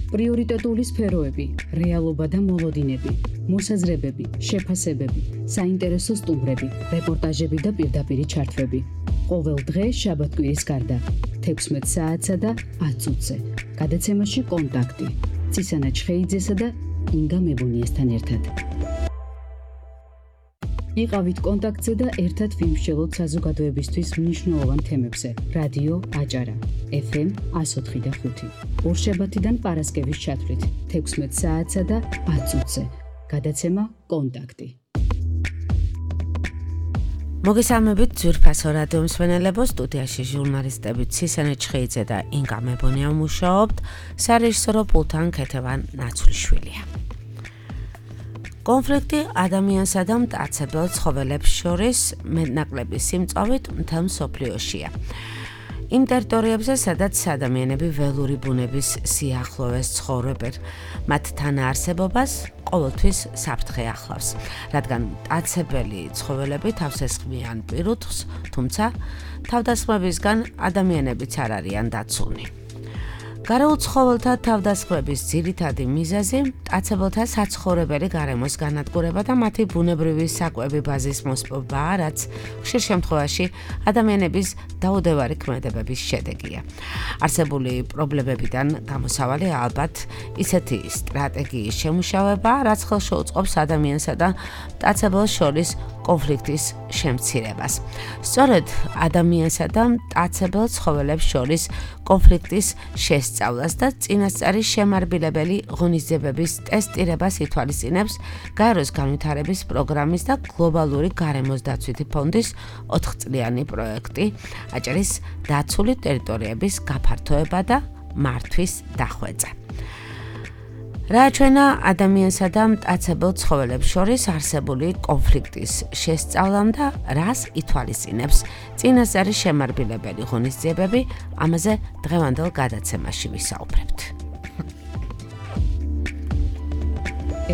პრიორიტეტული სფეროები, რეალობა და მოლოდინები, მოსაზრებები, შეფასებები, საინტერესო სტუმრები, რეპორტაჟები და პირდაპირი ჩართვები. ყოველ დღე შაბათ-კვირის გარდა 16 საათსა და 10 წუთზე. გადაცემაში კონტაქტი. ცისანა ჩხეიძესა და ინგა მებონიასთან ერთად. იყავით კონტაქტზე და ერთად ვიმსჯელოთ საზოგადოებისთვის მნიშვნელოვან თემებზე. რადიო აჭარა, FM 104.5. ორშაბათიდან პარასკევის ჩათვლით 16 საათსა და 10 წუთზე. გადაცემა კონტაქტი. მოგესალმებით ძვირფასო რადიო მსმენელებო, სტუდიაში ჟურნალისტები ცისანა ჩხეიძე და ინგა მებონია მუშაობთ, სარეჟისორო პულტთან ქეთევან ნაცვლიშვილია. კონფლიქტი ადამიანსა და მტაცებელ ცხოველებს შორის მეტნაკლები სიმწვავით მთელ მსოფლიოშია. იმ ტერიტორიებზე, სადაც ადამიანები ველური ბუნების სიახლოვეს ცხოვრობენ, მათ თანაარსებობას ყოველთვის საფრთხე ახლავს, რადგან მტაცებელი ცხოველები თავს ესხმიან პირუტყვს, თუმცა თავდასხმებისგან ადამიანებიც არ არიან დაცული. გარეულ ცხოველთა თავდასხმების ძირითადი მიზეზი მტაცებელთა საცხოვრებელი გარემოს განადგურება და მათი ბუნებრივი საკვები ბაზის მოსპობაა, რაც ხშირ შემთხვევაში ადამიანების დაუდევარი ქმედებების შედეგია. არსებული პრობლემებიდან გამოსავალი ალბათ ისეთი სტრატეგიის შემუშავება, რაც ხელს შეუწყობს ადამიანსა და მტაცებელს შორის კონფლიქტის შემცირებას. სწორედ ადამიანსა და მტაცებელ ცხოველებს შორის კონფლიქტის შესწავლას და წინასწარი შემარბილებელი ღონისძიებების ტესტირებას ითვალისწინებს გაეროს განვითარების პროგრამის და გლობალური გარემოს დაცვითი ფონდის 4-წლიანი პროექტი აჭარის დაცული ტერიტორიების გაფართოება და მართვის დახვეწა. რა ჩვენა ადამიანსა და მტაცებელ ცხოველებს შორის არსებული კონფლიქტის შესწავლამ და რას ითვალისწინებს წინასწარი შემარბილებელი ღონისძიებები, ამაზე დღევანდელ გადაცემაში ვისაუბრებთ.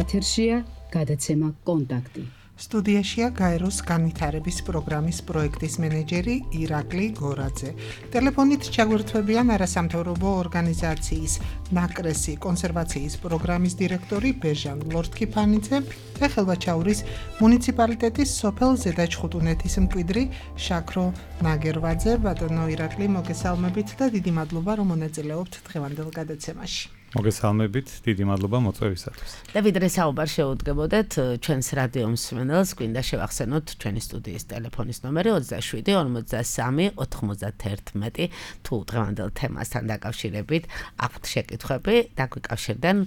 ეთერშია გადაცემა კონტაქტი. სტუდიაშია გაეროს განვითარების პროგრამის პროექტის მენეჯერი ირაკლი გორაძე. ტელეფონით ჩაგვერთვებიან არასამთავრობო ორგანიზაციის ნაკრესი კონსერვაციის პროგრამის დირექტორი ბეჟან ლორთქიფანიძე და ხელვაჩაურის მუნიციპალიტეტის სოფელ ზედაჩხუტუნეთის მკვიდრი შაქრო ნაგერვაძე. ბატონო ირაკლი, მოგესალმებით და დიდი მადლობა, რომ მონაწილეობთ დღევანდელ გადაცემაში. მოგესალმებით, დიდი მადლობა მოწვევისათვის. და ვიდრე საუბარ შეუდგებოდეთ ჩვენს რადიო მსმენელს, გვინდა შევახსენოთ ჩვენი სტუდიის ტელეფონის ნომერი 27 53 91. თუ დღევანდელ თემასთან დაკავშირებით აქვთ შეკითხვები, დაგვიკავშირდნენ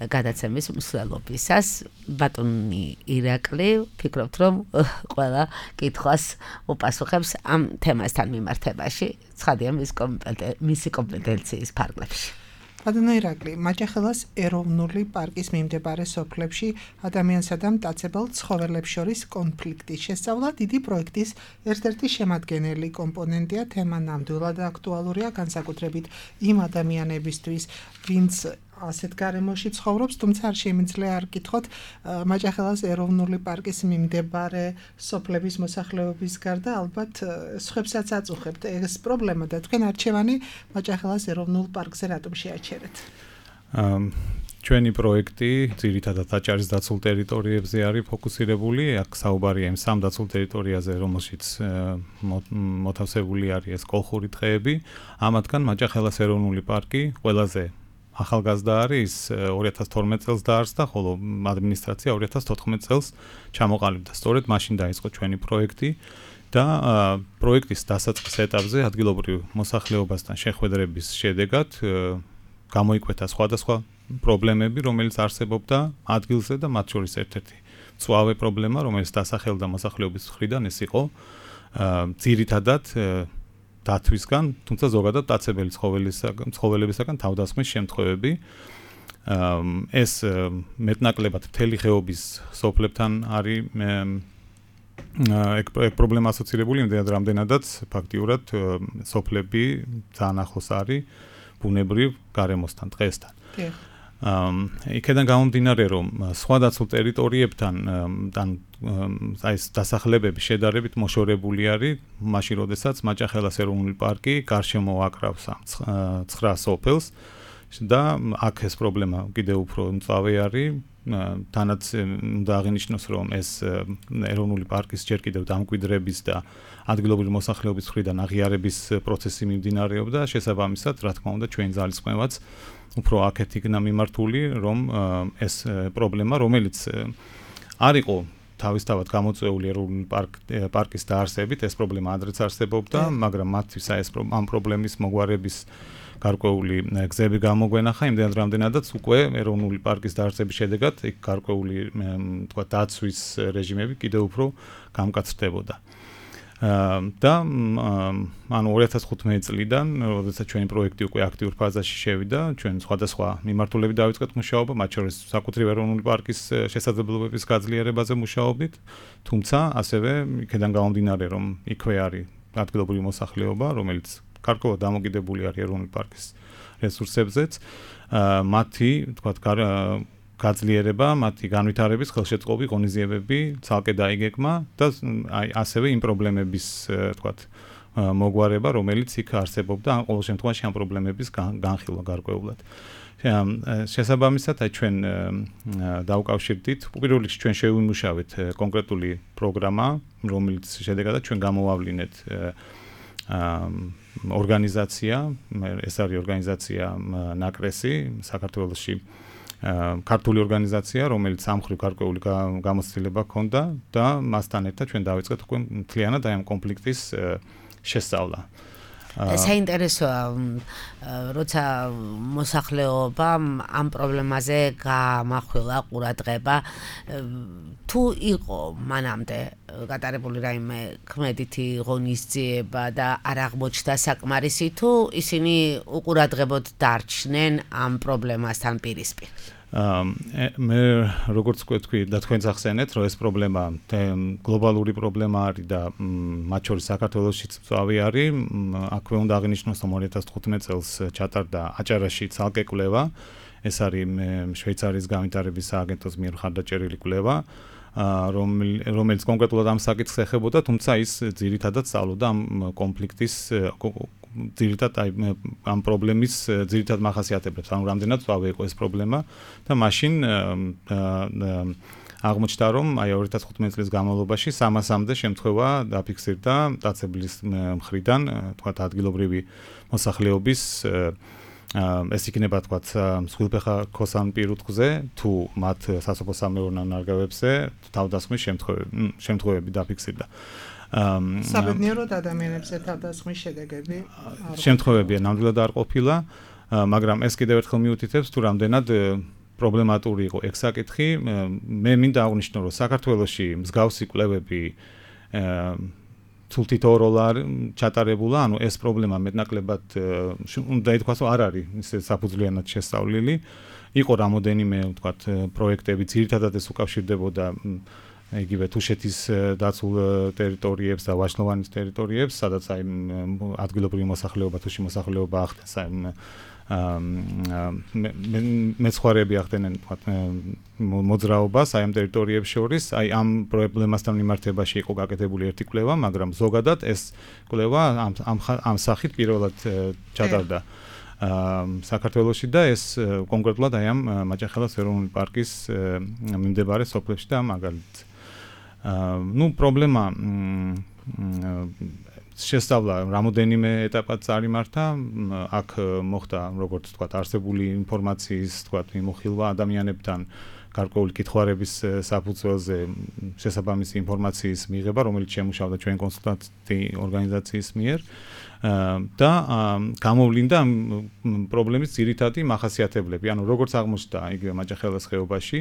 გადაცემის მსვლელობისას. ბატონი ირაკლი, ფიქრობთ, რომ ყველა კითხვას უპასუხებს ამ თემასთან მიმართებაში, ცხადია მისი კომპეტენციის ფარგლებში. ბატონო ირაკლი, მაჭახელას ეროვნული პარკის მიმდებარე სოფლებში ადამიანსა და მტაცებელ ცხოველებს შორის კონფლიქტის შესწავლა დიდი პროექტის ერთ-ერთი შემადგენელი კომპონენტია. თემა ნამდვილად აქტუალურია, განსაკუთრებით იმ ადამიანებისთვის, ვინც ასეთ გარემოში ცხოვრობს, თუმცა არ შემიძლია არ კითხოთ მაჭახელას ეროვნული პარკის მიმდებარე სოფლების მოსახლეობის გარდა ალბათ სხვებსაც აწუხებთ ეს პრობლემა და თქვენ არჩევანი მაჭახელას ეროვნულ პარკზე რატომ შეაჩერეთ? ჩვენი პროექტი ძირითადად აჭარის დაცულ ტერიტორიებზე არის ფოკუსირებული. აქ საუბარია იმ სამ დაცულ ტერიტორიაზე, რომელშიც მოთავსებული არის ეს კოლხური ტყეები. ამათგან მაჭახელას ეროვნული პარკი ყველაზე ახალგაზრდა არის, 2012 წელს დაარსდა, ხოლო ადმინისტრაცია 2014 წელს ჩამოყალიბდა. სწორედ მაშინ დაიწყო ჩვენი პროექტი და პროექტის დასაწყის ეტაპზე ადგილობრივ მოსახლეობასთან შეხვედრების შედეგად გამოიკვეთა სხვადასხვა პრობლემები, რომელიც არსებობდა ადგილზე და მათ შორის ერთ-ერთი მწვავე პრობლემა, რომელიც დასახელდა მოსახლეობის მხრიდან, ეს იყო ძირითადად დათვისგან, თუმცა ზოგადად მტაცებელი ცხოველებისაგან თავდასხმის შემთხვევები. ეს მეტნაკლებად მთელი ხეობის სოფლებთან არის პრობლემა ასოცირებული, რამდენადაც ფაქტიურად სოფლები ძალიან ახლოს არის ბუნებრივ გარემოსთან, ტყესთან. იქედან გამომდინარე, რომ სხვა დაცულ ტერიტორიებთან აი ეს დასახლებები შედარებით მოშორებული არის, მაშინ როდესაც მაჭახელას ეროვნული პარკი გარშემო აკრავს 9 სოფელს, და აქ ეს პრობლემა კიდევ უფრო მწვავე არის. თანაც უნდა აღინიშნოს, რომ ეს ეროვნული პარკის ჯერ კიდევ დამკვიდრების და ადგილობრივი მოსახლეობის მხრიდან აღიარების პროცესი მიმდინარეობდა. შესაბამისად, რა თქმა უნდა, ჩვენ ძალისხმევაც უფრო აქეთ იქნა მიმართული, რომ ეს პრობლემა, რომელიც არ იყო თავისთავად გამოწვეული ეროვნული პარკის დაარსებით, ეს პრობლემა ადრეც არსებობდა, მაგრამ მათთვის ამ პრობლემის მოგვარების გარკვეული გზები გამოგვენახა, იმდენად რამდენადაც უკვე ეროვნული პარკის დაარსების შედეგად იქ გარკვეული თქვა დაცვის რეჟიმები კიდევ უფრო გამკაცრდებოდა. და ანუ 2015 წლიდან, როდესაც ჩვენი პროექტი უკვე აქტიურ ფაზაში შევიდა, ჩვენ სხვადასხვა მიმართულებით დავიწყეთ მუშაობა, მათ შორის საკუთრივ ეროვნული პარკის შესაძლებლობების გაძლიერებაზე მუშაობდით, თუმცა ასევე იქედან გამომდინარე, რომ იქვე არის ადგილობრივი მოსახლეობა, რომელიც გარკვეულად დამოკიდებული არის ეროვნული პარკის რესურსებზეც, მათი, თქვათ, გაძლიერება, მათი განვითარების ხელშეწყობი, ღონისძიებები ცალკე დაიგეგმა და აი ასევე იმ პრობლემების, თქვათ, მოგვარება, რომელიც იქ არსებობდა, ან ყოველ შემთხვევაში ამ პრობლემების განხილვა გარკვეულად. შესაბამისად, აი ჩვენ დავუკავშირდით, პირველ რიგში ჩვენ შევიმუშავეთ კონკრეტული პროგრამა, რომელიც შედეგადაც ჩვენ გამოვავლინეთ ორგანიზაცია, ეს არის ორგანიზაცია ნაკრესი საქართველოში, ქართული ორგანიზაცია, რომელიც სამხრივ გარკვეული გამოცდილება ჰქონდა და მასთან ერთად ჩვენ დავიწყეთ უკვე მთლიანად აი ამ კონფლიქტის შესწავლა. საინტერესოა, როცა მოსახლეობა ამ პრობლემაზე გამახვილა ყურადღება, თუ იყო მანამდე გატარებული რაიმე ქმედითი ღონისძიება და არ აღმოჩნდა საკმარისი, თუ ისინი უყურადღებოდ დარჩნენ ამ პრობლემასთან პირისპირ? მე როგორც თქვი და თქვენც ახსენეთ, რომ ეს პრობლემა გლობალური პრობლემა არის და მათ შორის საქართველოშიც მწვავე არის. აქვე უნდა აღინიშნოს, რომ 2015 წელს ჩატარდა აჭარაში ცალკე კვლევა. ეს არის შვეიცარიის განვითარების სააგენტოს მიერ მხარდაჭერილი კვლევა, რომელიც კონკრეტულად ამ საკითხს ეხებოდა, თუმცა ის ძირითადად სწავლობდა ამ კონფლიქტის ძირითადად ამ პრობლემის ძირითად მახასიათებლებს, ანუ რამდენად მწვავე იყო ეს პრობლემა და მაშინ აღმოჩნდა, რომ აი 2015 წლის განმავლობაში 300-მდე შემთხვევა დაფიქსირდა დაცებლის მხრიდან, თქვათ ადგილობრივი მოსახლეობის ეს იქნება თქვათ მსხვილფეხა ქოსან პირუტყვზე თუ მათ სასოფლო-სამეურნეო ნარგავებზე თავდასხმის შემთხვევები დაფიქსირდა. საბედნიეროდ ადამიანებზე თავდასხმის შედეგები შემთხვევებია ნამდვილად არ ყოფილა, მაგრამ ეს კიდევ ერთხელ მიუთითებს თუ რამდენად პრობლემატური იყო ეგ საკითხი. მე მინდა აღვნიშნო, რომ საქართველოში მსგავსი კვლევები თულთითოეულ ჩატარებულა, ანუ ეს პრობლემა მეტნაკლებად უნდა ითქვას, რომ არ არის ისე საფუძვლიანად შესწავლილი. იყო რამოდენიმე, ვთქვათ, პროექტები, ძირითადად ეს უკავშირდებოდა იგივე თუშეთის დაცულ ტერიტორიებს და ვაშლოვანის ტერიტორიებს, სადაც აი ადგილობრივი მოსახლეობა, თუში მოსახლეობა ახდენს აი მეცხვარეები ახდენენ მოძრაობას აი ამ ტერიტორიებს შორის, აი ამ პრობლემასთან მიმართებაში იყო გაკეთებული ერთი კვლევა, მაგრამ ზოგადად ეს კვლევა ამ სახით პირველად ჩატარდა საქართველოში და ეს კონკრეტულად აი ამ მაჭახელას ეროვნული პარკის მიმდებარე სოფლებში და მაგალითად პრობლემა შესწავლა რამოდენიმე ეტაპად წარიმართა, აქ მოხდა, როგორც თქვათ, არსებული ინფორმაციის, თქვათ, მიმოხილვა ადამიანებთან გარკვეული კითხვარების საფუძველზე შესაბამისი ინფორმაციის მიღება, რომელიც შემუშავდა ჩვენ კონსულტანტი ორგანიზაციის მიერ და გამოვლინდა პრობლემის ძირითადი მახასიათებლები. ანუ როგორც აღმოჩნდა იგივე მაჭახელას ხეობაში,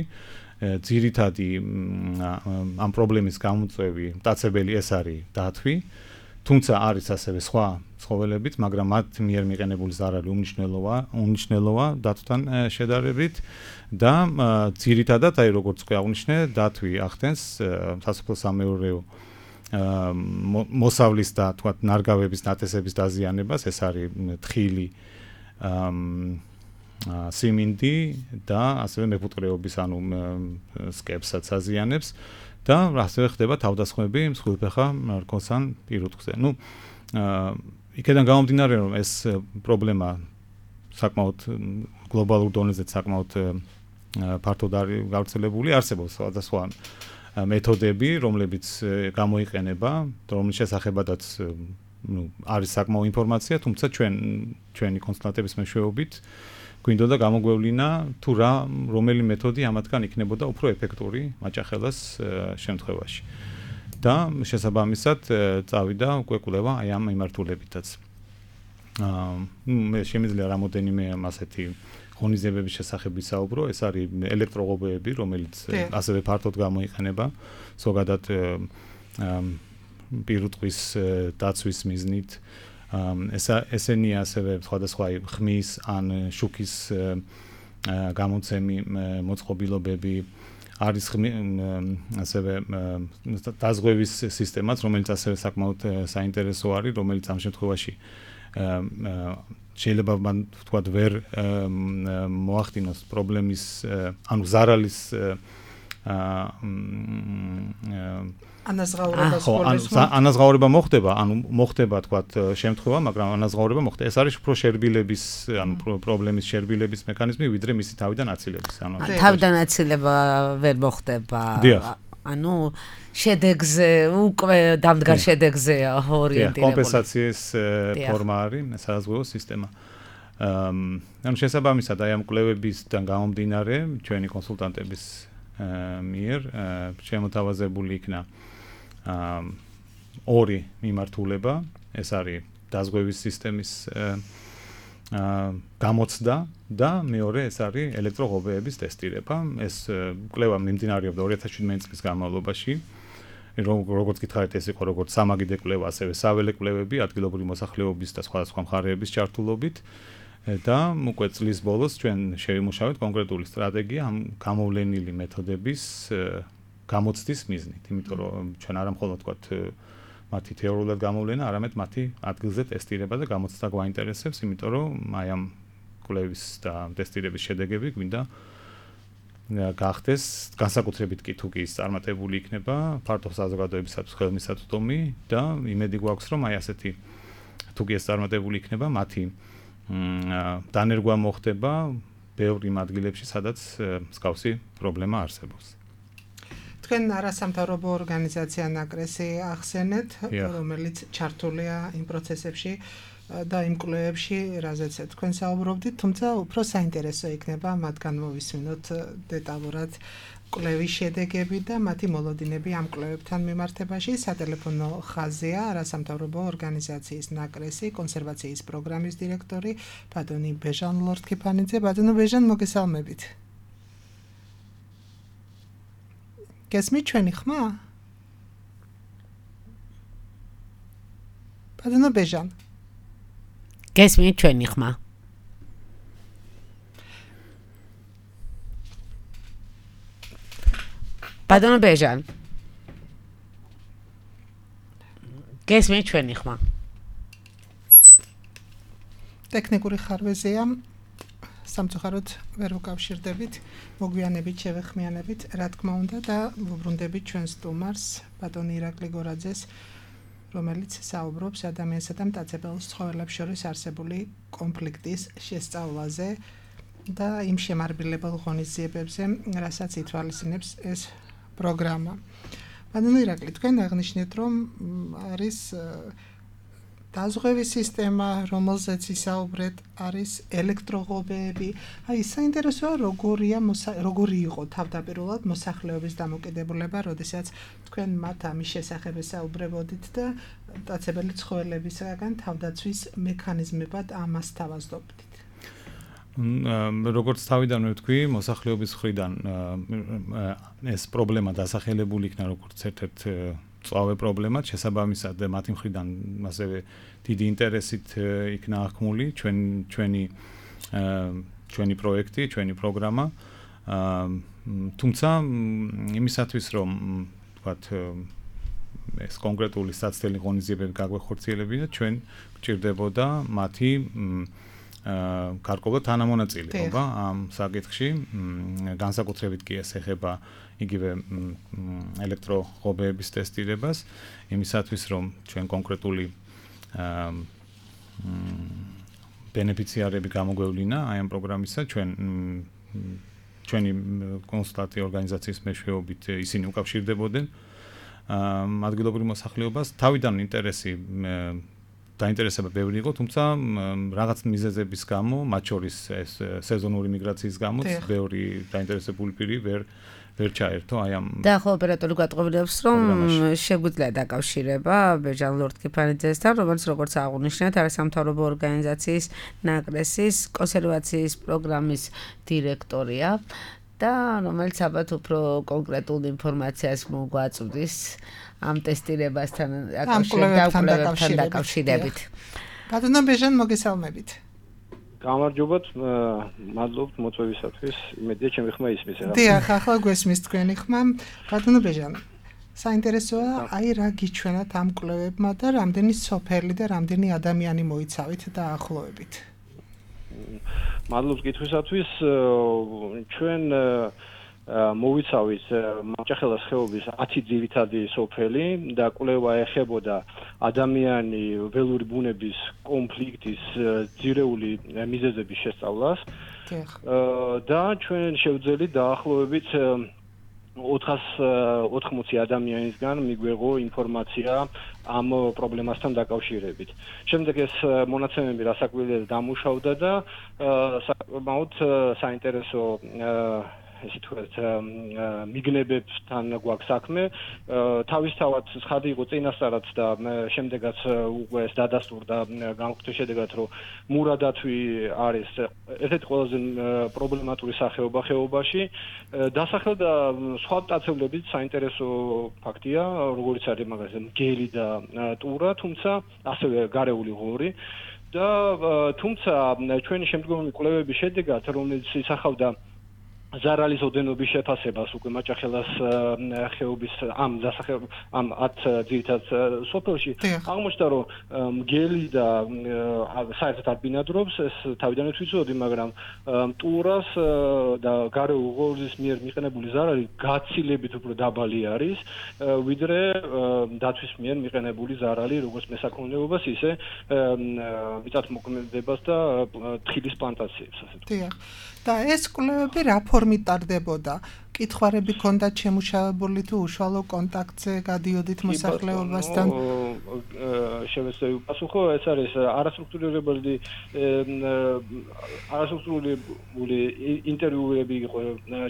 ძირითადი ამ პრობლემის გამოწვევი მტაცებელი ეს არის დათვი. თუმცა არის ასევე სხვა ცხოველებიც, მაგრამ მათ მიერ მიყენებული ზარალი უმნიშვნელოა დათვთან შედარებით და ძირითადად აი როგორც უკვე აღნიშნე, დათვი ახდენს სასოფლო-სამეურნეო მოსავლის და თქვათ ნარგავების ნათესების დაზიანებას, ეს არის თხილი, სიმინდი და ასევე მეფუტკრეობის ანუ სკებსაც აზიანებს. და ასევე ხდება თავდასხმები მსხვილფეხა რქოსან პირუტყვზე. იქედან გამომდინარე, რომ ეს პრობლემა საკმაოდ გლობალურ დონეზე საკმაოდ ფართოდ არის გავრცელებული, არსებობს სხვადასხვა მეთოდები, რომლებიც გამოიყენება, რომლის შესახებადაც არის საკმაო ინფორმაცია, თუმცა ჩვენი კონსულტანტების მეშვეობით გვინდოდა გამოგვევლინა თუ რომელი მეთოდი ამათგან იქნებოდა უფრო ეფექტური მაჭახელას შემთხვევაში. და შესაბამისად წავიდა უკვე კვლევა აი ამ მიმართულებითაც. მე შემიძლია რამოდენიმე ასეთი ღონისძიებების შესახებ ვისაუბრო, ეს არის ელექტროღობეები, რომელიც ასევე ფართოდ გამოიყენება ზოგადად პირუტყვის დაცვის მიზნით. ესენია ასევე სხვადასხვა ხმის ან შუქის გამოცემი მოწყობილობები, არის ასევე დაზღვევის სისტემაც, რომელიც ასევე საკმაოდ საინტერესო არის, რომელიც ამ შემთხვევაში შეიძლება მან ვთქვათ ვერ მოახდინოს პრობლემის, ანუ ზარალის ანაზღაურება მოხდება, ანუ მოხდება თქვათ შემთხვევა, მაგრამ ანაზღაურება მოხდება. ეს არის უფრო შერბილების, ანუ პრობლემის შერბილების მექანიზმი, ვიდრე მისი თავიდან აცილების. ანუ თავიდან აცილება ვერ მოხდება. ანუ შედეგზე უკვე დამდგარ შედეგზეა ორიენტირებული. კომპენსაციის ფორმა არის საზღვაო სისტემა. ანუ შესაბამისად აი ამ კვლევებისგან გამომდინარე, ჩვენი კონსულტანტების მიერ შემოთავაზებული იქნა ორი მიმართულება, ეს არის დაზღვევის სისტემის გამოცდა და მეორე ეს არის ელექტროღობეების ტესტირება. ეს კვლევა მიმდინარეობდა 2017 წლის განმავლობაში. როგორც გითხარით, ეს იყო როგორც სამაგიდე კვლევა, ასევე საველე კვლევები ადგილობრივი მოსახლეობის და სხვადასხვა მხარეების ჩართულობით. და უკვე წლის ბოლოს ჩვენ შევიმუშავეთ კონკრეტული სტრატეგია ამ გამოვლენილი მეთოდების გამოცდის მიზნით, იმიტომ რომ ჩვენ არა მხოლოდ ვთქვათ მათი თეორიულად გამოვლენა, არამედ მათი ადგილზე ტესტირება და გამოცდა გვაინტერესებს, იმიტომ რომ აი ამ კვლევის და ტესტირების შედეგები გვინდა გახდეს განსაკუთრებით კი თუ კი ის წარმატებული იქნება ფართო საზოგადოებისათვის ხელმისაწვდომი და იმედი გვაქვს რომ აი ასეთი თუ კი ეს წარმატებული იქნება მათი დანერგვა მოხდება ბევრ იმ ადგილებში, სადაც მსგავსი პრობლემა არსებობს. თქვენ არასამთავრობო ორგანიზაცია ნაკრესი ახსენეთ, რომელიც ჩართულია იმ პროცესებში და იმ კვლევებში, რაზეც თქვენ საუბრობდით, თუმცა უფრო საინტერესო იქნება მათგან მოვისმინოთ დეტალურად კვლევის შედეგები და მათი მოლოდინები ამ კვლევებთან მიმართებაში. სატელეფონო ხაზია არასამთავრობო ორგანიზაციის ნაკრესი კონსერვაციის პროგრამის დირექტორი ბატონი ბეჟან ლორთქიფანიძე. ბატონო ბეჟან, მოგესალმებით. გესმით ჩვენი ხმა? ბატონო ბეჟან. გესმით ჩვენი ხმა? ბატონო ბეჟან. გესმით ჩვენი ხმა? ტექნიკური ხარვეზია. სამწუხაროდ ვერ ვუკავშირდებით, მოგვიანებით შევეხმიანებით, რა თქმა უნდა და ვუბრუნდებით ჩვენს სტუმარს, ბატონ ირაკლი გორაძეს, რომელიც საუბრობს ადამიანსა და მტაცებელ ცხოველებს შორის არსებული კონფლიქტის შესწავლაზე და იმ შემარბილებელ ღონისძიებებზე, რასაც ითვალისწინებს ეს პროგრამა. ბატონ ირაკლი, თქვენ აღნიშნეთ, რომ არის დაზღვევის სისტემა, რომელზეც ისაუბრეთ, არის ელექტროღობეები. აი, საინტერესოა, როგორი იყო თავდაპირველად მოსახლეობის დამოკიდებულება, როდესაც თქვენ მათ ამის შესახებ ესაუბრებოდით და მტაცებელი ცხოველებისგან თავდაცვის მექანიზმებად ამას თავაზობდით. როგორც თავიდანვე ვთქვი, მოსახლეობის მხრიდან ეს პრობლემა დასახელებული იქნა როგორც ერთ-ერთ წვავე პრობლემად, შესაბამისად მათი მხრიდან ასევე დიდი ინტერესით იქნა აღქმული ჩვენი პროექტი, ჩვენი პროგრამა. თუმცა იმისათვის რომ ვთქვათ ეს კონკრეტული საცდელი ღონისძიებები გაგვეხორციელებინა, ჩვენ გვჭირდებოდა მათი გარკვეულად თანამონაწილეობა ამ საკითხში, განსაკუთრებით კი ეს ეხება იგივე ელექტროღობეების ტესტირებას, იმისათვის რომ ჩვენ კონკრეტული ბენეფიციარები გამოგვევლინა აი ამ პროგრამისა ჩვენი კონსულტანტი ორგანიზაციის მეშვეობით ისინი უკავშირდებოდნენ ადგილობრივ მოსახლეობას თავიდან დაინტერესება ბევრი იყო, თუმცა რაღაც მიზეზების გამო, მათ შორის ეს სეზონური მიგრაციის გამო ბევრი დაინტერესებული პირი ვერ ჩაერთო აი ამ და ხო ოპერატორი გვატყობინებს რომ შეგვიძლია დაკავშირება ბეჟან ლორდ-კიფანიძესთან, რომელიც როგორც აღნიშნეთ, არასამთავრობო ორგანიზაციის ნაკრესის კონსერვაციის პროგრამის დირექტორია და რომელიც ალბათ უფრო კონკრეტულ ინფორმაციას მოგვაწვდის ამ ტესტირებასთან დაკავშირებით. ბატონო ბეჟან, მოგესალმებით. გამარჯობათ, მადლობთ მოწვევისათვის. იმედია ჩემი ხმა ისმის რა. დიახ, ახლა გვესმის თქვენი ხმა. ბატონო ბეჟან, საინტერესოა, აი რა გიჩვენათ ამ კვლევებმა და რამდენი სოფელი და რამდენი ადამიანი მოიცავით დაახლოებით. მადლობთ კითხვისათვის. ჩვენ მოვიცავით მაჭახელას ხეობის 10 ძირითადი სოფელი და კვლევა ეხებოდა ადამიანი ველური ბუნების კონფლიქტის ძირეული მიზეზების შესწავლას. და ჩვენ შევძელით დაახლოებით 480 ადამიანისგან მიგვეღო ინფორმაცია ამ პრობლემასთან დაკავშირებით. შემდეგ ეს მონაცემები რასაკვირველად დამუშავდა და საკმაოდ საინტერესო ესე თქვათ მიგნებებთან გვაქვს საქმე. თავისთავად ცხადი იყო წინასწარად და შემდეგაც უკვე ეს დადასტურდა განხორციელის შედეგად, რომ მურადათვი არის ერთ-ერთი ყველაზე პრობლემატური სახეობა ხეობაში. დასახელდა სხვა მტაცებლებიც საინტერესო ფაქტია, როგორც არის მაგალითად მგელი და ტურა, თუმცა ასევე გარეული ღორი. და თუმცა ჩვენი შემდგომი კვლევების შედეგად, რომელიც ისახავდა ზარალის ოდენობის შეფასებას უკვე მაჭახელას ხეობის ამ 10 ძირითად სოფელში აღმოჩნდა, რომ მგელი და საერთოდ არ ბინადრობს, ეს თავიდანვე ვიცოდი, მაგრამ ტურას და გარეულ ღორის მიერ მიყენებული ზარალი გაცილებით უფრო დაბალი არის, ვიდრე დაცვის მიერ მიყენებული ზარალი, როგორც მესაქონლეობას, ისე მიწათმოქმედებას და თხილის პლანტაციებს, ასე ვთქვათ. და ეს კვლევები რა ფორმით ტარდებოდა? კითხვარები ქონდათ შემუშავებული თუ უშუალო კონტაქტზე გადიოდით მოსახლეობასთან? შევეცდები უპასუხო, ეს არის არასტრუქტურირებული ინტერვიუები იყო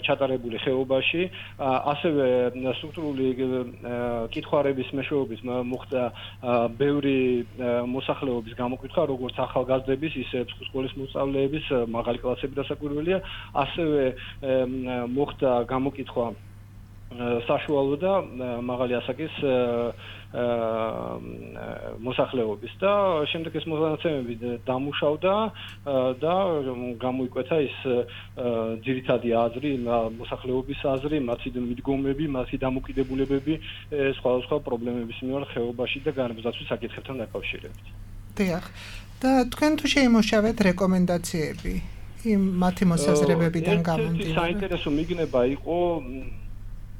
ჩატარებული ხეობაში, ასევე სტრუქტურული კითხვარების მეშვეობით მოხდა ბევრი მოსახლეობის გამოკითხვა, როგორც ახალგაზრდების, ისე სკოლის მოსწავლეების, მაღალი კლასების დასაკვირველია, ასევე მოხდა გამოკითხვა საშუალო და მაღალი ასაკის მოსახლეობის და შემდეგ ეს მონაცემები დამუშავდა და გამოიკვეთა ის ძირითადი აზრი, მოსახლეობის აზრი, მათი მიდგომები, მათი დამოკიდებულებები სხვადასხვა პრობლემების მიმართ ხეობაში და განმზადვის საკითხებთან დაკავშირებით. დიახ. და თქვენ თუ შეიმუშავეთ რეკომენდაციები იმ მათი მოსაზრებებიდან გამომდინარე? საინტერესო მიგნება იყო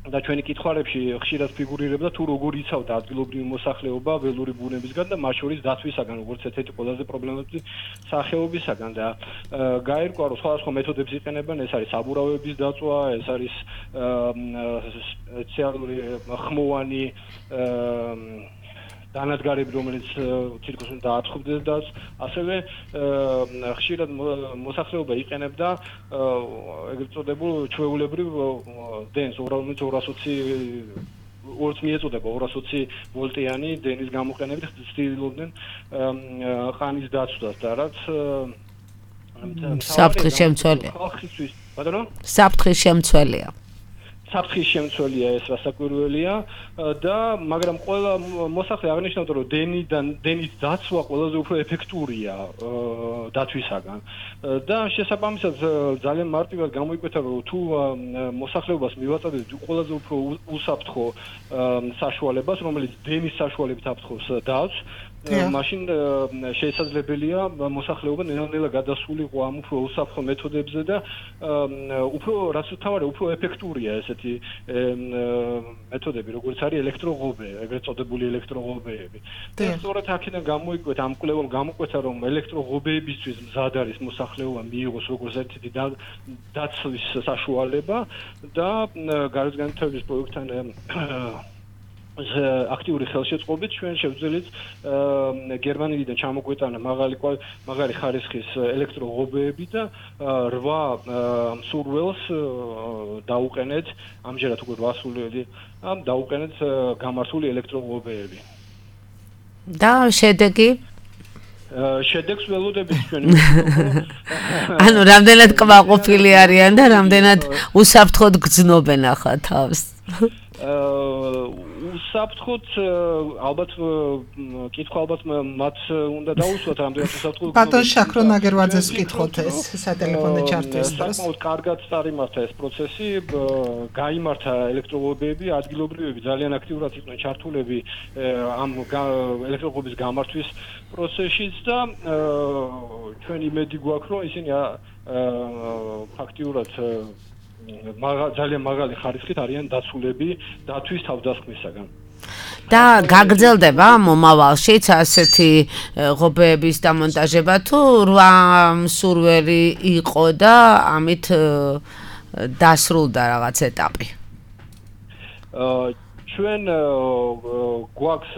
და ჩვენი კითხვარებში ხშირად ფიგურირებდა თუ როგორ იცავდა ადგილობრივი მოსახლეობა ველური ბუნებისგან და მათ შორის დაცვისაგან, როგორც ერთ-ერთი ყველაზე პრობლემატური სახეობისაგან და გაირკვა, რომ სხვადასხვა მეთოდებს იყენებენ, ეს არის საბურავების დაწვა, ეს არის სპეციალური ხმოვანი განადგარები, რომელიც თითქოს დააწყობდეს და ასევე ხშირად მოსახლეობა იყენებდა ეგრეთ წოდებულ ჩვეულებრივ დენს, რომელიც 220 მიეწოდება 220 ვოლტიანი დენის გამოყენებით ცდილობდნენ ყანის დაცვას და რაც საფრთხის შემცველია. ბატონო? საფრთხის შემცველია. საფრთხის შემცველია ეს რასაკვირველია და მაგრამ ყველა მოსახლე აღნიშნავდა, რომ დენის დაცვა ყველაზე უფრო ეფექტურია დაცვისაგან და შესაბამისად ძალიან მარტივად გამოიკვეთა, რომ თუ მოსახლეობას მივაწოდეთ ყველაზე უფრო უსაფრთხო საშუალებას, რომელიც დენის საშუალებით აფრთხოს დაცვს მაშინ შესაძლებელია მოსახლეობა ნელ-ნელა გადასულიყო ამ უფრო უსაფრთხო მეთოდებზე და უფრო რაც თავარი უფრო ეფექტურია ესეთი მეთოდები, როგორც არის ელექტროღობე, ეგრეთ წოდებული ელექტროღობეები. და სწორედ აქედან გამოიკვეთა ამ კვლევამ გამოკვეთა, რომ ელექტროღობეებისთვის მზად არის მოსახლეობა მიიღოს როგორც ერთ-ერთი დაცვის საშუალება და გარეგანთების პროექტთან აქტიური ხელშეწყობით ჩვენ შევძელით გერმანიიდან ჩამოგვეტანა მაღალი ხარისხის ელექტროღობეები და 8 მსურველს დაუყენეთ ამჯერად უკვე 8 სულელი დაუყენეთ გამართული ელექტროღობეები. და შედეგი შედეგს ველოდებით ჩვენ. ანუ რამდენად კმაყოფილი არიან და რამდენად უსაფრთხოდ გრძნობენ ახლა თავს. უსაფრთხოდ ალბათ კითხვა ალბათ მათ უნდა დაუსვათ რამდენად უსაფრთხოდ ბატონ შაქრო ნაგერვაძეს ვკითხოთ ეს სატელეფონო ჩარტის დროს. საკმაოდ კარგად წარიმართა ეს პროცესი, გაიმართა ელექტროღობეები, ადგილობრივები ძალიან აქტიურად იყვნენ ჩართულები ამ ელექტროღობების გამართვის პროცესშიც და ჩვენ იმედი გვაქვს, რომ ისინი ფაქტიურად ძალიან მაღალი ხარისხით არიან დაცულები დათვის თავდასხმისაგან. და გაგრძელდება მომავალშიც ასეთი ღობეების დამონტაჟება თუ 8 მსურველი იყო და ამით დასრულდა რაღაც ეტაპი? ჩვენ გვაქვს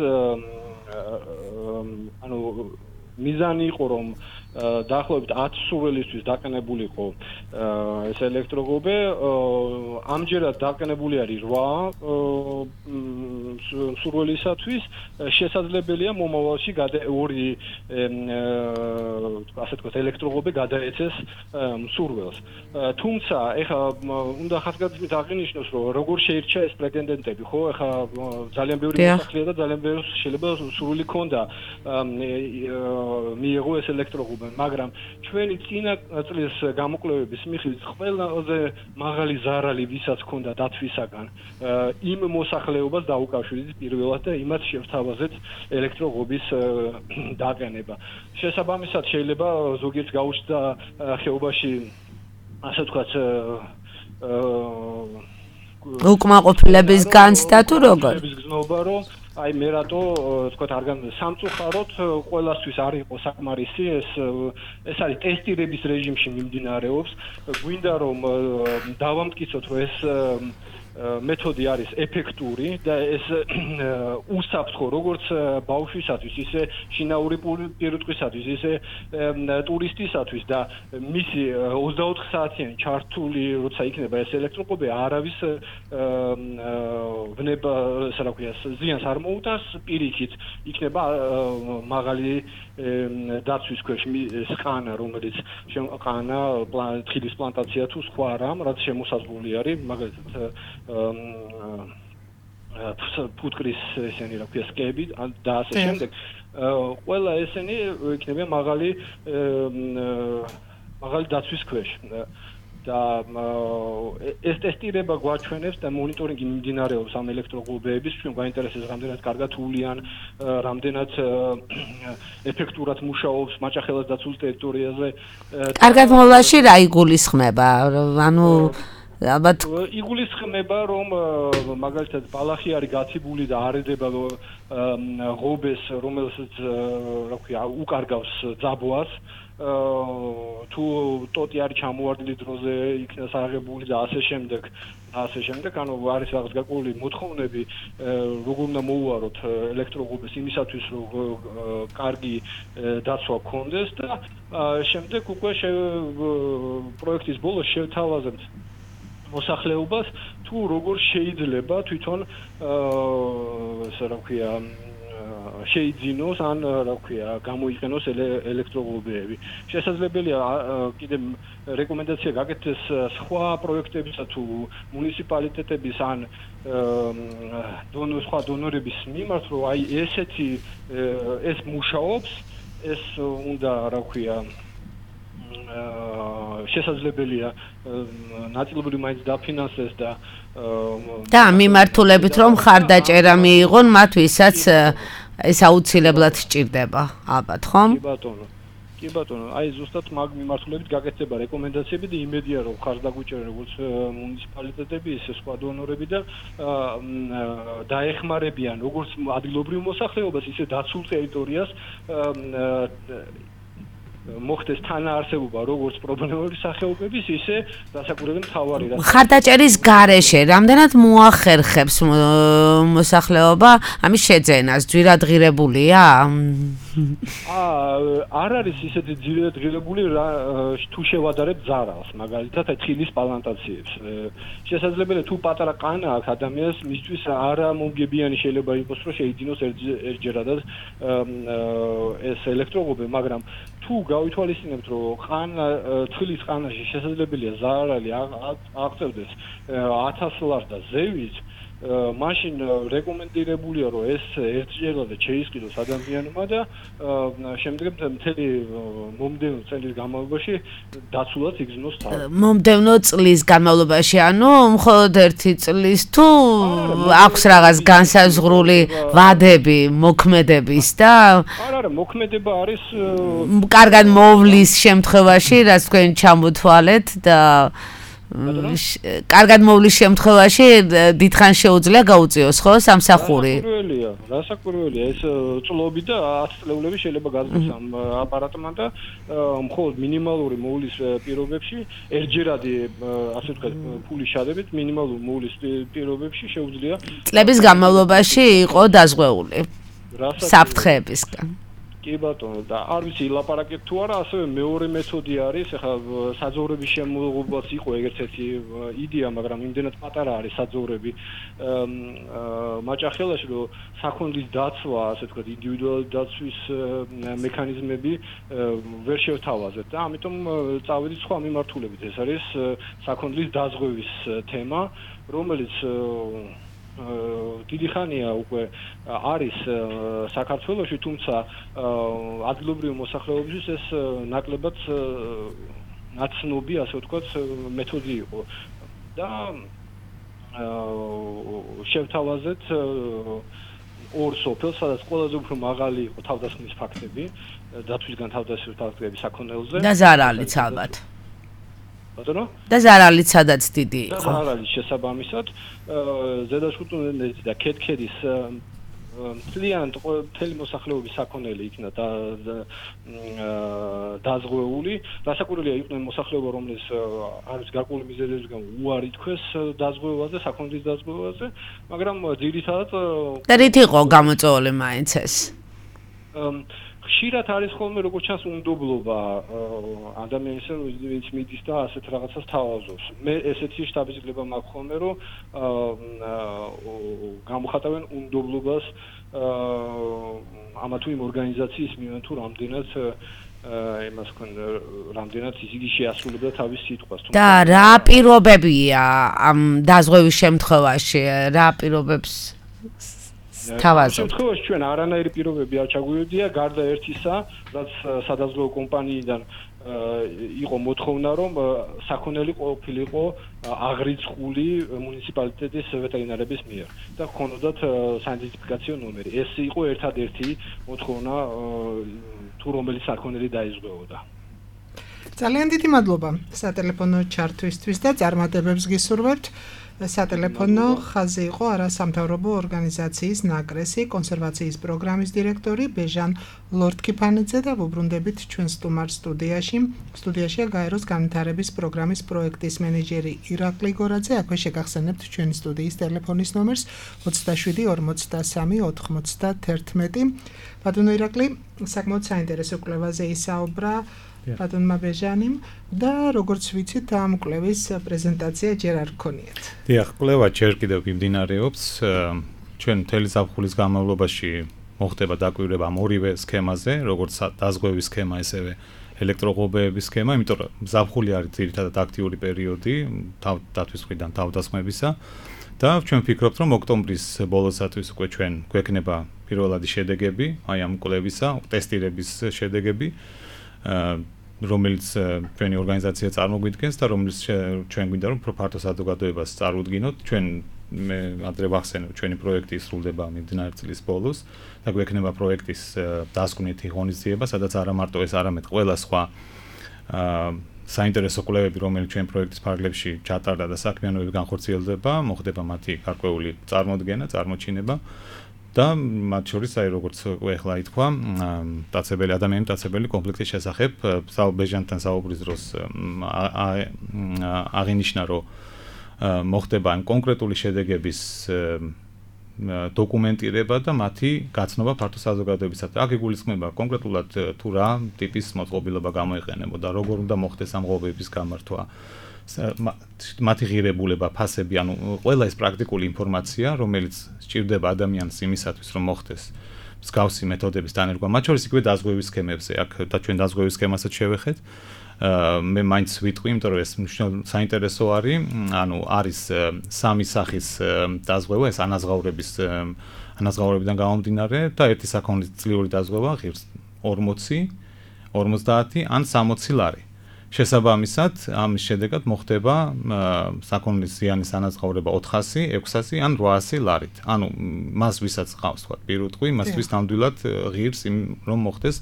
ანუ მიზანი იყო რომ დაახლოებით 10 მსურველისთვის დაყენებულიყო ეს ელექტროღობე, ამჯერად დაყენებული არის 8 მსურველისათვის, შესაძლებელია მომავალში 2 ასე თქვა ელექტროღობე გადაეცეს მსურველს. თუმცა ეხლა უნდა ხაზგასმით აღინიშნოს, რომ როგორ შეირჩა ეს პრეტენდენტები, ხო? ეხლა ძალიან ბევრი მოსახლეა და ძალიან ბევრი შეიძლება სურვილი ქონდა მიიღო ეს ელექტროღობე, მაგრამ ჩვენი წინა წლის გამოკვლევების მიხედვით ყველაზე მაღალი ზარალი ვისაც ქონდა დათვისაგან იმ მოსახლეობას დაუკავშირდით პირველად და იმათ შევთავაზეთ ელექტროღობის დაყენება. შესაბამისად შეიძლება ზოგიერთ გაუჩნდა ხეობაში ასე ვთქვათ უკმაყოფილების განცდა თუ როგორ? გზნობა რომ აი მე რატო ვთქვათ არ სამწუხაროდ ყველასთვის არ იყო საკმარისი ეს არის ტესტირების რეჟიმში მიმდინარეობს. გვინდა რომ დავამტკიცოთ რომ ეს მეთოდი არის ეფექტური და ეს უსაფრთხო როგორც ბავშვისათვის, ისე შინაური პირუტყვისათვის, ისე ტურისტისათვის და მისი 24 საათიანი ჩართული როცა იქნება ეს ელექტროღობე არავის ვნება, ასე რა ქვია, ზიანს არ მოუტანს, პირიქით იქნება მაღალი დაცვის ქვეშ სყანა, რომელიც ყანა, თხილის პლანტაცია თუ სხვა რამ, რაც შემოსაზღვრული არის, მაგალითად ფუტკრის ესენი რა ქვია სკები და ასე შემდეგ. ყველა ესენი იქნება მაღალი დაცვის ქვეშ. და ეს ტესტირება გვაჩვენებს და მონიტორინგი მიმდინარეობს ამ ელექტროღობეების, ჩვენ გვაინტერესებს რამდენად კარგად ულიან, რამდენად ეფექტურად მუშაობს მაჭახელას დაცულ ტერიტორიაზე. კარგად მოლაში რა იგულისხმება? ანუ ალბათ იგულისხმება რომ მაგალითად ბალახი არის გაციბული და არედება ღობეს, რომელსაც რა ქვია უკარგავს ძაბვას, თუ ტოტი არის ჩამოვარდნილი დროზე იქნას აღებული და ასე შემდეგ, ანუ არის რაღაც გაკვლილი მოთხოვნები, როგორ უნდა მოუაროთ ელექტროღობეს იმისათვის, რომ კარგი დაცვა გქონდეს და შემდეგ უკვე პროექტის ბოლოს შევთავაზებთ მოსახლეობას თუ როგორ შეიძლება თვითონ ასე რა ქვია შეიძინოს ან რა ქვია გამოიყენოს ელექტროღობეები. შესაძლებელია კიდე რეკომენდაცია გაკეთდეს სხვა პროექტებისა თუ მუნიციპალიტეტების ან სხვა დონორების მიმართ, რომ აი ეს მუშაობს, ეს უნდა რა ქვია შესაძლებელია ნაწილობრივ მაინც დაფინანსდეს და მიმართულებით რომ ხარდაჭერა მიიღონ მათ ვისაც ეს აუცილებლად სჭირდება, ალბათ, ხომ? კი ბატონო, აი ზუსტად მაგ მიმართულებით გაკეთდება რეკომენდაციები და იმედია რომ ხარს დაგვიჭერენ როგორც მუნიციპალიტეტები, ისე სხვა დონორები და დაეხმარებიან როგორც ადგილობრივ მოსახლეობას, ისე დაცულ ტერიტორიას მოხდეს თანაარსებობა როგორც პრობლემური სახეობების, ისე დასაკურებელი მთავარი ხარდაჭერის გარეშე რამდენად მოახერხებს მოსახლეობა ამის შეძენას, ძვირადღირებულია? არ არის ისეთი ძვირადღირებული თუ შევადარებ ძარალს, მაგალითად თხილის პლანტაციებს. შესაძლებელია თუ პატარა ყანა აქვს ადამიანს, მისთვის არა მომგებიანი შეიძლება იყოს, რომ შეიძინოს ერთჯერადად ეს ელექტროღობე, მაგრამ თუ გავითვალისწინებთ, რომ თხილის ყანაში შესაძლებელია ზარალი აღწევდეს 1000 ლარს და ზევით, მაშინ რეკომენდირებულია, რომ ეს ერთჯერადად შეისყიდოს ადამიანმა და შემდეგ მთელი მომდევნო წლის განმავლობაში დაცულად იგრძნოს თავი. მომდევნო წლის განმავლობაში, ანუ მხოლოდ 1 წლის თუ აქვს რაღაც განსაზღვრული ვადები მოქმედების და არა, მოქმედება არის კარგად მოვლის შემთხვევაში, რაც თქვენ ჩამოთვალეთ და კარგად მოვლის შემთხვევაში დიდხანს შეუძლია გაუწიოს, ხო, სამსახური? რასაკვირველია, ეს წლები და 10 წლეულები შეიძლება გაზრდოს ამ აპარატმა და მხოლოდ მინიმალური მოვლის პირობებში, ერთჯერადი, ასე ვთქვათ, ფულის შადებით მინიმალური მოვლის პირობებში შეუძლია წლების განმავლობაში იყო დაზღვეული საფრთხეებისგან. კი ბატონო, და არ ვიცი ლაპარაკეთ თუ არა, ასევე მეორე მეთოდი არის, ახლა საძოვრების შემოღებაც იყო ერთ-ერთი იდეა, მაგრამ იმდენად პატარა არის საძოვრები მაჭახელაში, რომ საქონლის დაცვა, ასე ვთქვათ, ინდივიდუალური დაცვის მექანიზმები ვერ შევთავაზეთ და ამიტომ წავედით სხვა მიმართულებით. ეს არის საქონლის დაზღვევის თემა, რომელიც დიდი ხანია უკვე არის საქართველოში, თუმცა ადგილობრივი მოსახლეობისთვის ეს ნაკლებად ნაცნობი, ასე ვთქვათ, მეთოდი იყო და შევთავაზეთ ორ სოფელს, სადაც ყველაზე უფრო მაღალი იყო თავდასხმის ფაქტები, დაცვისგან თავდასხმის ფაქტები საქონელზე და ზარალიც ალბათ. და ზარალიც სადაც დიდი იყო. და ზარალის შესაბამისად ზედაშუტუნეთი და ქეთქერის მთელი მოსახლეობის საქონელი იქნა დაზღვეული. რასაკვირველია, იყვნენ მოსახლეობა, რომელიც არის გარკვეული მიზეზებისგან უარი თქვეს დაზღვევაზე, საქონლის დაზღვევაზე, მაგრამ ძირითადად და რით იყო გამოწვეული მაინც ეს? ხშირად არის ხოლმე როგორც ჩანს უნდობლობა ადამიანის, ვინც მიდის და ასეთ რაღაცას თავაზობს. მე ესეთი შტაბის-ძიება მაქვს ხოლმე, რომ გამოხატავენ უნდობლობას ამა თუ იმ ორგანიზაციის მიმართ, თუ რამდენად იმას ქონდა, რამდენად იგი შეასრულებდა თავის სიტყვას. და რა პირობებია ამ დაზღვევის შემთხვევაში? რა პირობებს თავაზობთ? შემთხვევაში ჩვენ არანაირი პირობები არ ჩაგვიოდია, გარდა ერთისა, რაც სადაზღვევო კომპანიიდან იყო მოთხოვნა, რომ საქონელი ყოფილიყო აღრიცხული მუნიციპალიტეტის ვეტერინარების მიერ და ჰქონოდათ საიდენტიფიკაციო ნომერი. ეს იყო ერთადერთი მოთხოვნა, თუ რომელიც საქონელი დაიზღვეოდა. ძალიან დიდი მადლობა სატელეფონო ჩართვისთვის და წარმატებებს გისურვებთ. სატელეფონო ხაზი იყო არასამთავრობო ორგანიზაციის ნაკრესი კონსერვაციის პროგრამის დირექტორი ბეჟან ლორდკიფანიძე და ვუბრუნდებით ჩვენ სტუმარ სტუდიაში. სტუდიაშია გაეროს განვითარების პროგრამის პროექტის მენეჯერი ირაკლი გორაძე. აქვე შეგახსენებთ ჩვენი სტუდიის ტელეფონის ნომერს 27 43 91. ბატონო ირაკლი, საკმაოდ საინტერესო კვლევაზე ისაუბრა ბატონმა ბეჟანიმ და როგორც ვიცით, ამ კვლევის პრეზენტაცია ჯერ არ გქონიათ. დიახ, კვლევა ჯერ კიდევ მიმდინარეობს. ჩვენ მთელი ზაფხულის განმავლობაში მოხდება დაკვირვება ამ ორივე სქემაზე, როგორც დაზღვევის სქემა, ესევე ელექტროღობეების სქემა, იმიტომ რომ ზაფხული არის ძირითადად აქტიური პერიოდი დაცვის მხრიდან თავდასხმებისა და ჩვენ ვფიქრობთ, რომ ოქტომბრის ბოლოსთვის უკვე ჩვენ გვექნება პირველადი შედეგები, აი ამ კვლევისა, ტესტირების შედეგები, რომელიც ჩვენი ორგანიზაცია წარმოგვიდგენს და რომელიც ჩვენ გვინდა რომ ფართო საზოგადოებას წარუდგინოთ. ჩვენ მე ადრე ვახსენე ჩვენი პროექტი სრულდება მიმდინარე წლის ბოლოს და გვექნება პროექტის დასკვნითი ღონისძიება, სადაც არა მარტო ეს, არამედ ყველა სხვა საინტერესო კვლევები, რომელიც ჩვენ პროექტის ფარგლებში ჩატარდა და საქმიანობები განხორციელდება, მოხდება მათი გარკვეული წარმოდგენა, წარმოჩინება და მათ შორის აი როგორც ეხლა ითქვა, ადამიანის მტაცებელი კონფლიქტის შესახებ ბეჟანთან საუბრის დროს აღინიშნა, რომ მოხდება იმ კონკრეტული შედეგების დოკუმენტირება და მათი გაცნობა ფართო საზოგადოებისათვის. აქ იგულისხმება კონკრეტულად თუ რა ტიპის მოწყობილობა გამოიყენებოდა, როგორ უნდა მოხდეს ამ ღობების გამართვა, მათი ღირებულება, ფასები, ანუ ყველა ეს პრაქტიკული ინფორმაცია, რომელიც სჭირდება ადამიანს იმისათვის, რომ მოხდეს მსგავსი მეთოდების დანერგვა, მათ შორის იგივე დაზღვევის სქემებზე, აქ და ჩვენ დაზღვევის სქემასაც შევეხეთ. მე მაინც ვიტყვი, იმიტომ რომ ეს საინტერესო არის, ანუ არის სამი სახის დაზღვევა, ეს ანაზღაურებიდან გამომდინარე და ერთი საქონლისწლიური დაზღვევა ღირს 40, 50 ან 60 ლარი. შესაბამისად, ამის შედეგად მოხდება საქონლისზიანის ანაზღაურება 400, 600 ან 800 ლარით. ანუ მას ვისაც ყავს თქვა პირუტყვი, მას ვის ნამდვილად ღირს რომ მოხდეს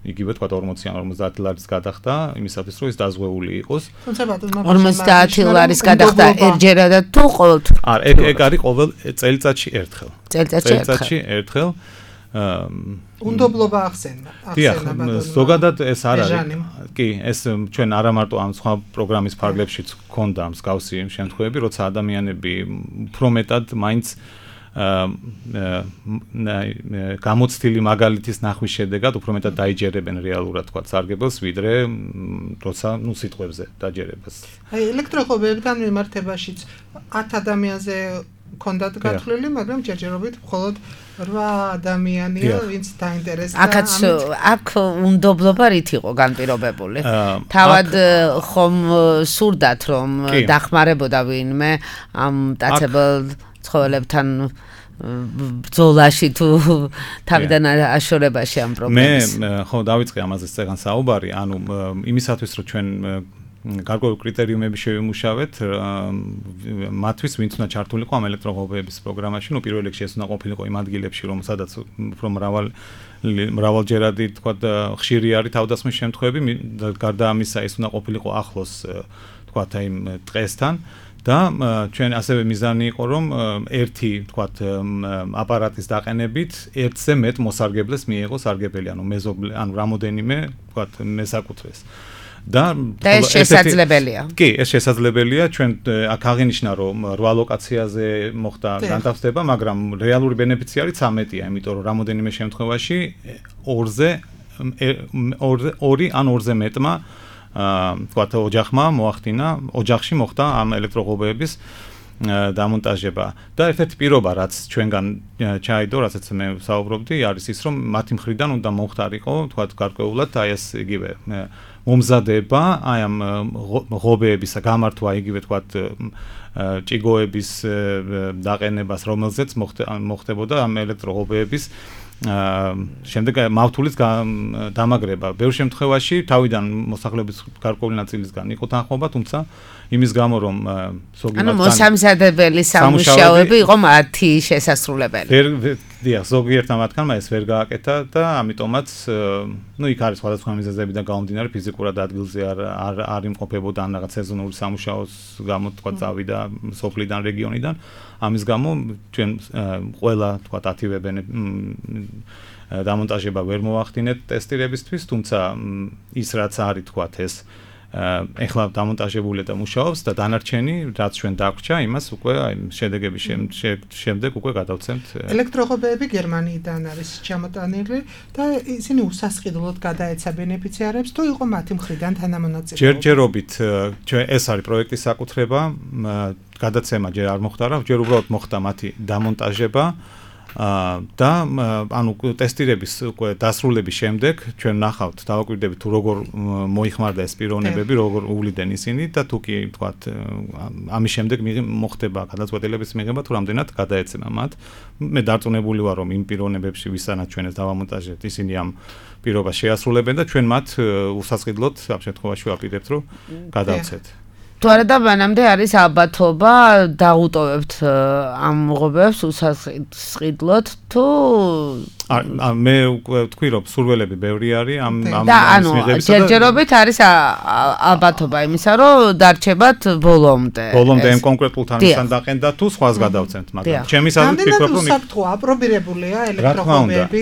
იგივე თქვა 40 ან 50 ლარის გადახდა, იმისათვის რომ ეს დაზღვეული იყოს. 50 ლარის გადახდა ერთჯერადად თუ ყოველთვის? არა, ეგ არის ყოველ წელიწადში ერთხელ. წელიწადში ერთხელ. უნდობლობა ახსენა. ზოგადად ეს არ არის. კი, ეს ჩვენ არა მარტო ამ სხვა პროგრამის ფარგლებშიც გქონდა მსგავსი შემთხვევები, როცა ადამიანები უფრო მეტად მაინც გამოცდილი მაგალითის ნახვის შედეგად უფრო მეტად დაიჯერებენ რეალურად თქვა სარგებელს, ვიდრე როცა სიტყვებზე დაჯერებას. აი ელექტროხობებთან მიმართებაშიც 10 ადამიანზე ქონდათ გათვლილი, მაგრამ ჯერჯერობით მხოლოდ 8 ადამიანია, ვინც დაინტერესდა. აქ უნდობლობა რით იყო განპირობებული? თავად ხომ სურდათ რომ დახმარებოდა ვინმე ამ მტაცებელ ცხოველებთან ბრძოლაში თუ თავიდან აშორებაში ამ პრობლემას. მე ხო დავიწყე ამაზე წეგან საუბარი, ანუ იმისათვის რომ ჩვენ გარკვეული კრიტერიუმები შევიმუშავეთ მათთვის, ვინც უნდა ჩართულიყო ამ ელექტროღობების პროგრამაში, პირველ რიგში ეს უნდა ყოფილიყო იმ ადგილებში, რომ სადაც უფრო მრავალჯერადი თქვა ხშირი არის თავდასხმის შემთხვევები, გარდა ამისა ეს უნდა ყოფილიყო ახლოს თქვა იმ დღესთან. და ჩვენ ასევე მიზანი იყო, რომ ერთი თქვათ აპარატის დაყენებით ერთზე მეტ მოსარგებლეს მიიღოს სარგებელი, ანუ მეზობლე, ანუ რამოდენიმე თქვათ მესაკუთრეს. და ეს შესაძლებელია. კი, ეს შესაძლებელია. ჩვენ აქ აღინიშნა, რომ 8 ლოკაციაზე მოხდა განთავსება, მაგრამ რეალური ბენეფიციარი 13-ია, იმიტომ რომ რამოდენიმე შემთხვევაში 2 ან 2-ზე მეტმა თქვათ ოჯახმა მოახდინა, ოჯახში მოხდა ამ ელექტროღობების დამონტაჟება. და ერთ-ერთი პირობა, რაც ჩვენგან ჩაიდო, რასაც მე საუბრობდი, არის ის, რომ მათი მხრიდან უნდა მოხდარიყო, თქვათ გარკვეულად აი ეს იგივე მომზადება, აი ამ ღობეების გამართვა, იგივე თქვათ ჭიგოების დაყენებას, რომელზეც მოხდებოდა ამ ელექტროღობეების შემდეგ მავთულის დამაგრება. ბევრ შემთხვევაში თავიდან მოსახლეობის გარკვეული ნაწილისგან იყო თანხმობა, თუმცა იმის გამო რომ ანუ მოსამზადებელი სამუშაოები იყო მათი შესასრულებელი. დიახ, ზოგიერთ მათგანმა ეს ვერ გააკეთა და ამიტომაც იქ არის სხვადასხვა მიზეზები და გამომდინარე ფიზიკურად ადგილზე არ იმყოფებოდა ან რაღაც სეზონური სამუშაოს გამო თქვა წავიდა სოფლიდან, რეგიონიდან. ამის გამო ჩვენ ყველა თქვა 10 დამონტაჟება ვერ მოახდინეთ ტესტირებისთვის, თუმცა ის რაც არის თქვა ეს ეხლა დამონტაჟებულია და მუშაობს და დანარჩენი რაც ჩვენ დაგვრჩა, იმას უკვე აი შედეგების შემდეგ უკვე გადავცემთ. ელექტროღობეები გერმანიიდან არის ჩამოტანილი და ისინი უსასყიდლოდ გადაეცა ბენეფიციარებს, თუ იყო მათი მხრიდან თანამონაწილეობა. ჯერჯერობით ჩვენ ეს არის პროექტის საკუთრება, გადაცემა ჯერ არ მოხდა, ჯერ უბრალოდ მოხდა მათი დამონტაჟება. და ანუ ტესტირების უკვე დასრულების შემდეგ ჩვენ ნახავთ, დავაკვირდებით თუ როგორ მოიხმარდა ეს პიროვნებები, როგორ უვლიდნენ ისინი და თუ კი თქვათ ამის შემდეგ მოხდება გადაწყვეტილების მიღება თუ რამდენად გადაეცემა მათ. მე დარწმუნებული ვარ, რომ იმ პიროვნებებში ვისანაც ჩვენ ეს დავამონტაჟებთ, ისინი ამ პირობას შეასრულებენ და ჩვენ მათ უსასყიდლოდ ამ შემთხვევაში ვაპირებთ, რომ გადავცეთ. თუ არა და მანამდე არის ალბათობა დაუტოვებთ ამ ღობებს უსასყიდლოდ თუ მე ვთქვი რომ სურველები ბევრი არის ამ და ანუ ჯერჯერობით არის ალბათობა იმისა რომ დარჩებათ ბოლომდე იმ კონკრეტულ თანხმთან დაყენდა თუ სხვას გადავცემთ მაგრამ ჩემი სადაც ვფიქრობ რომ უსაფრთხო აპრობირებულია ელექტროღობები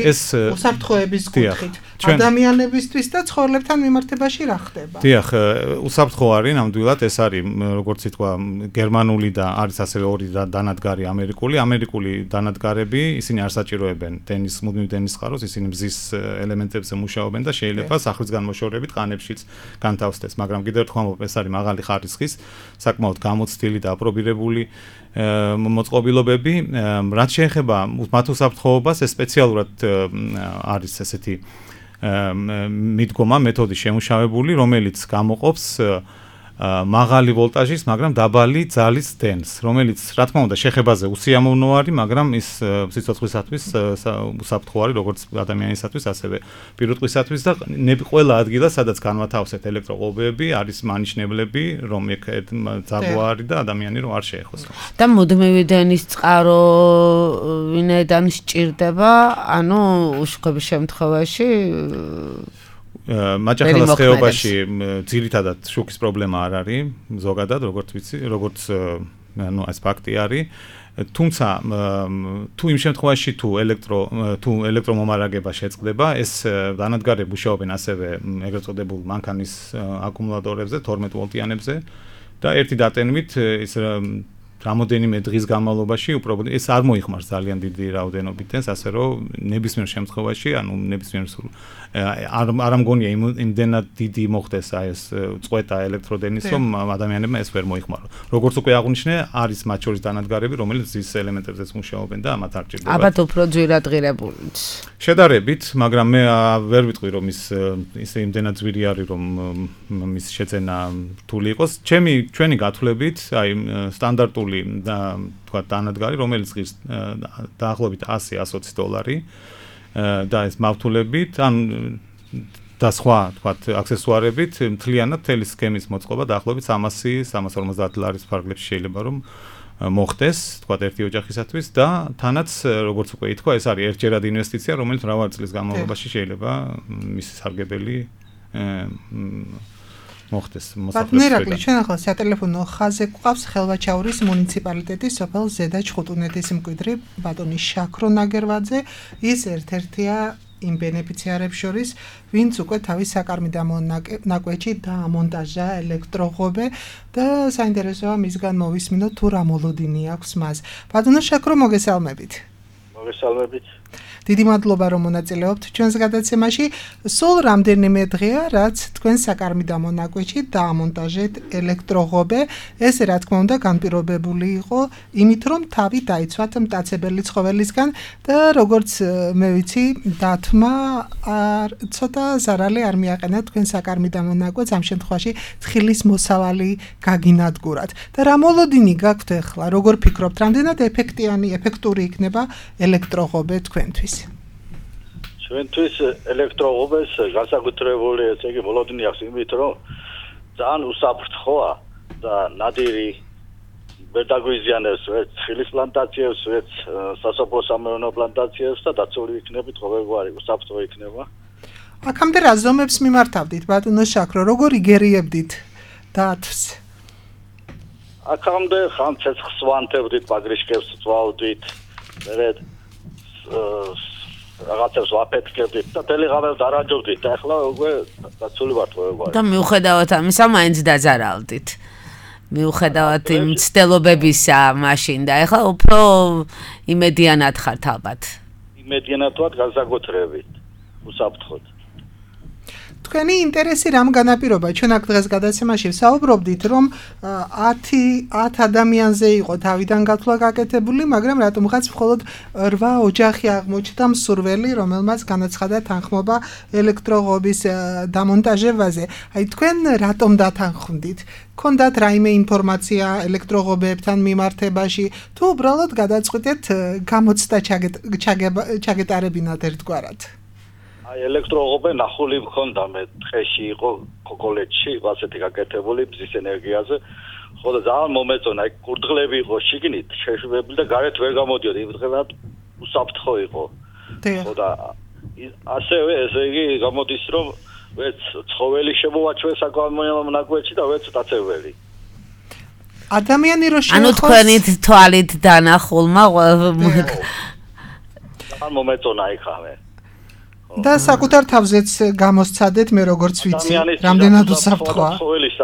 უსაფრთხოების კუთხით ადამიანებისთვის და ცხოველებთან მიმართებაში რა ხდება? დიახ, უსაფრთხო არის ნამდვილად ეს არის როგორც ითქვა გერმანული და არის ასევე ორი დანადგარი ამერიკული დანადგარები ისინი არ საჭიროებენ მუდმივ დენის წყაროს ისინი მზის ელემენტებზე მუშაობენ და შეიძლება სახლის განმოშორებით ყანებშიც განთავსდეს მაგრამ კიდევ ერთხელ ვამბობ ეს არის მაღალი ხარისხის საკმაოდ გამოცდილი და აპრობირებული მოწყობილობები რაც შეეხება მათ უსაფრთხოებას ეს სპეციალურად არის ესეთი მიდგომა მეთოდი შემუშავებული რომელიც გამოყოფს მაღალი ვოლტაჟის, მაგრამ დაბალი ძალის დენს, რომელიც რა თქმა უნდა შეხებაზე უსიამოვნო არის, მაგრამ ის სიცოცხლისათვის უსაფრთხო არის როგორც ადამიანისათვის, ასევე პირუტყვისათვის და ყველა ადგილას, სადაც განვათავსეთ ელექტროღობები, არის მანიშნებლები, რომ ეგ ძაბვა არის და ადამიანი რომ არ შეეხოს. და მუდმივი დენის წყარო ვინაიდან სჭირდება, ანუ უშუქების შემთხვევაში მაჭახელის ხეობაში ძირითადად შუქის პრობლემა არ არის ზოგადად როგორც ვიცი როგორც ანუ ეს ფაქტი არის თუმცა თუ იმ შემთხვევაში თუ ელექტრომომარაგება შეწყდება ეს დანადგარები მუშაობენ ასევე ეგრეთ წოდებულ მანქანის აკუმულატორებზე 12 ვოლტიანებზე და ერთი დატენმით ის რამოდენიმე დღის განმავლობაში უბრალოდ ეს არ მოიხმარს ძალიან დიდი რაოდენობით დენს ასე რომ ნებისმიერ შემთხვევაში ანუ ნებისმიერ არ მგონია იმდენად დიდი მოხდეს აი ეს წყვეტა ელექტროდენის რომ ადამიანებმა ეს ვერ მოიხმარო როგორც უკვე აღნიშნე არის მათ შორის დანადგარები რომელიც ის ელემენტებზეც მუშაობენ და მათ არ ჭირდება ალბათ უფრო ძვირადღირებულიც შედარებით მაგრამ მე ვერ ვიტყვი რომ ის იმდენად ძვირი არის რომ მის შეძენა რთული იყოს ჩვენი გათვლებით აი სტანდარტული და თქვა დანადგარი რომელიც ღირს დაახლოებით $100-120 და ეს მავთულებით ან და სხვა თქვა აქსესუარებით მთლიანად თელი სქემის მოწყობა დაახლოებით $300-350 ფარგლებში შეიძლება რომ მოხდეს თქვა ერთი ოჯახისათვის და თანაც როგორც უკვე ითქვა ეს არის ერთჯერად ინვესტიცია რომელიც მრავალი წლის განმავლობაში შეიძლება მისი სარგებელი მოხდეს მოსახლეობისგან. ბატონერაკლი, ჩვენ ახლა სატელეფონო ხაზზე გვყავს ხელვაჩაურის მუნიციპალიტეტის სოფელ ზედაჩხუტუნეთის მკვიდრი ბატონი შაქრო ნაგერვაძე. ის ერთ-ერთია იმ ბენეფიციარებს შორის, ვინც უკვე თავის საკარმიდო ნაკვეთში დაამონტაჟა ელექტროღობე და საინტერესოა მისგან მოვისმინოთ თუ რა მოლოდინი აქვს მას. ბატონო შაქრო, მოგესალმებით. მოგესალმებით. დიდი მადლობა რომ მონაწილეობთ ჩვენს გადაცემაში. სულ რამდენიმე დღეა რაც თქვენ საკარმიდო ნაკვეთში დაამონტაჟეთ ელექტროღობე. ეს რა თქმა უნდა განპირობებული იყო იმით რომ თავი დაიცვათ მტაცებელი ცხოველისგან და როგორც მე ვიცი დათმა ცოტა ზარალი არ მიაყენა თქვენ საკარმიდო ნაკვეთს ამ შემთხვევაში თხილის მოსავალი გაგინადგურათ. და რა მოლოდინი გაქვთ ახლა როგორ ფიქრობთ რამდენად ეფექტური იქნება ელექტროღობე თქვენთვის? ჩვენთვის ელექტროღობეს განსაკუთრებული ესე იგი მოლოდინი აქვს იმით რომ ძალიან უსაფრთხოა და ნადირი ვერ დაგვიზიანებს ვერც ხილის პლანტაციებს ვერც სასოფლო-სამეურნეო პლანტაციებს და დაცული იქნებით ყოველგვარი უსაფრთხო იქნება აქამდე რა ზომებს მიმართავდით ბატონო შაქრო როგორ იგერიებდით დათვს აქამდე ხან ცეცხლს ვანთებდით პაგრიშკებს ვწვავდით მერე რაღაცებს ვაფეთქებდით და ტელეღამებს დარაჯობდით და ახლა უკვე დაცული ვართ ყოველგვარი. და მიუხედავად ამისა მაინც დაძარავდით. მიუხედავად იმ ცდელობებისა მაშინ და ახლა უფრო იმედიანად ხართ ალბათ. იმედიანად ვართ განსაკუთრებით უსაფრთხოდ. თქვენი ინტერესი რამ განაპირობა? ჩვენ აქ დღეს გადაცემაში ვსაუბრობდით, რომ 10 ადამიანზე იყო თავიდან გათვლა გაკეთებული, მაგრამ რატომღაც მხოლოდ 8 ოჯახი აღმოჩნდა მსურველი, რომელმაც განაცხადა თანხმობა ელექტროღობის დამონტაჟებაზე. აი თქვენ რატომ დათანხმდით? გქონდათ რაიმე ინფორმაცია ელექტროღობებთან მიმართებაში, თუ უბრალოდ გადაწყვიტეთ გამოცდა ჩაგეტარებინათ ერთგვარად? ელექტროღობე ნახული მქონდა მე დღეში იყო კოლეჯში ასეთი გაკეთებული ბზის ენერგიაზე ხო და ძალიან მომეწონა, აი კურდღლები იყო შიგნით შეშვებული და გარეთ ვერ გამოდიოდა, იმდღებად უსაფრთხო იყო. ხო და ასევე ესე იგი გამოდის რომ ვერც ცხოველი შემოვაჩვეს საკამონიალო ნაკვეთში და ვერც დაწეველი. ადამიანი რო ანუ თქვენით თვალით დანახულმა ძალიან მომეწონა იქავე. და საკუთარ თავზეც გამოსცადეთ მე როგორც ვიცი, რამდენად უსაფრთხოა.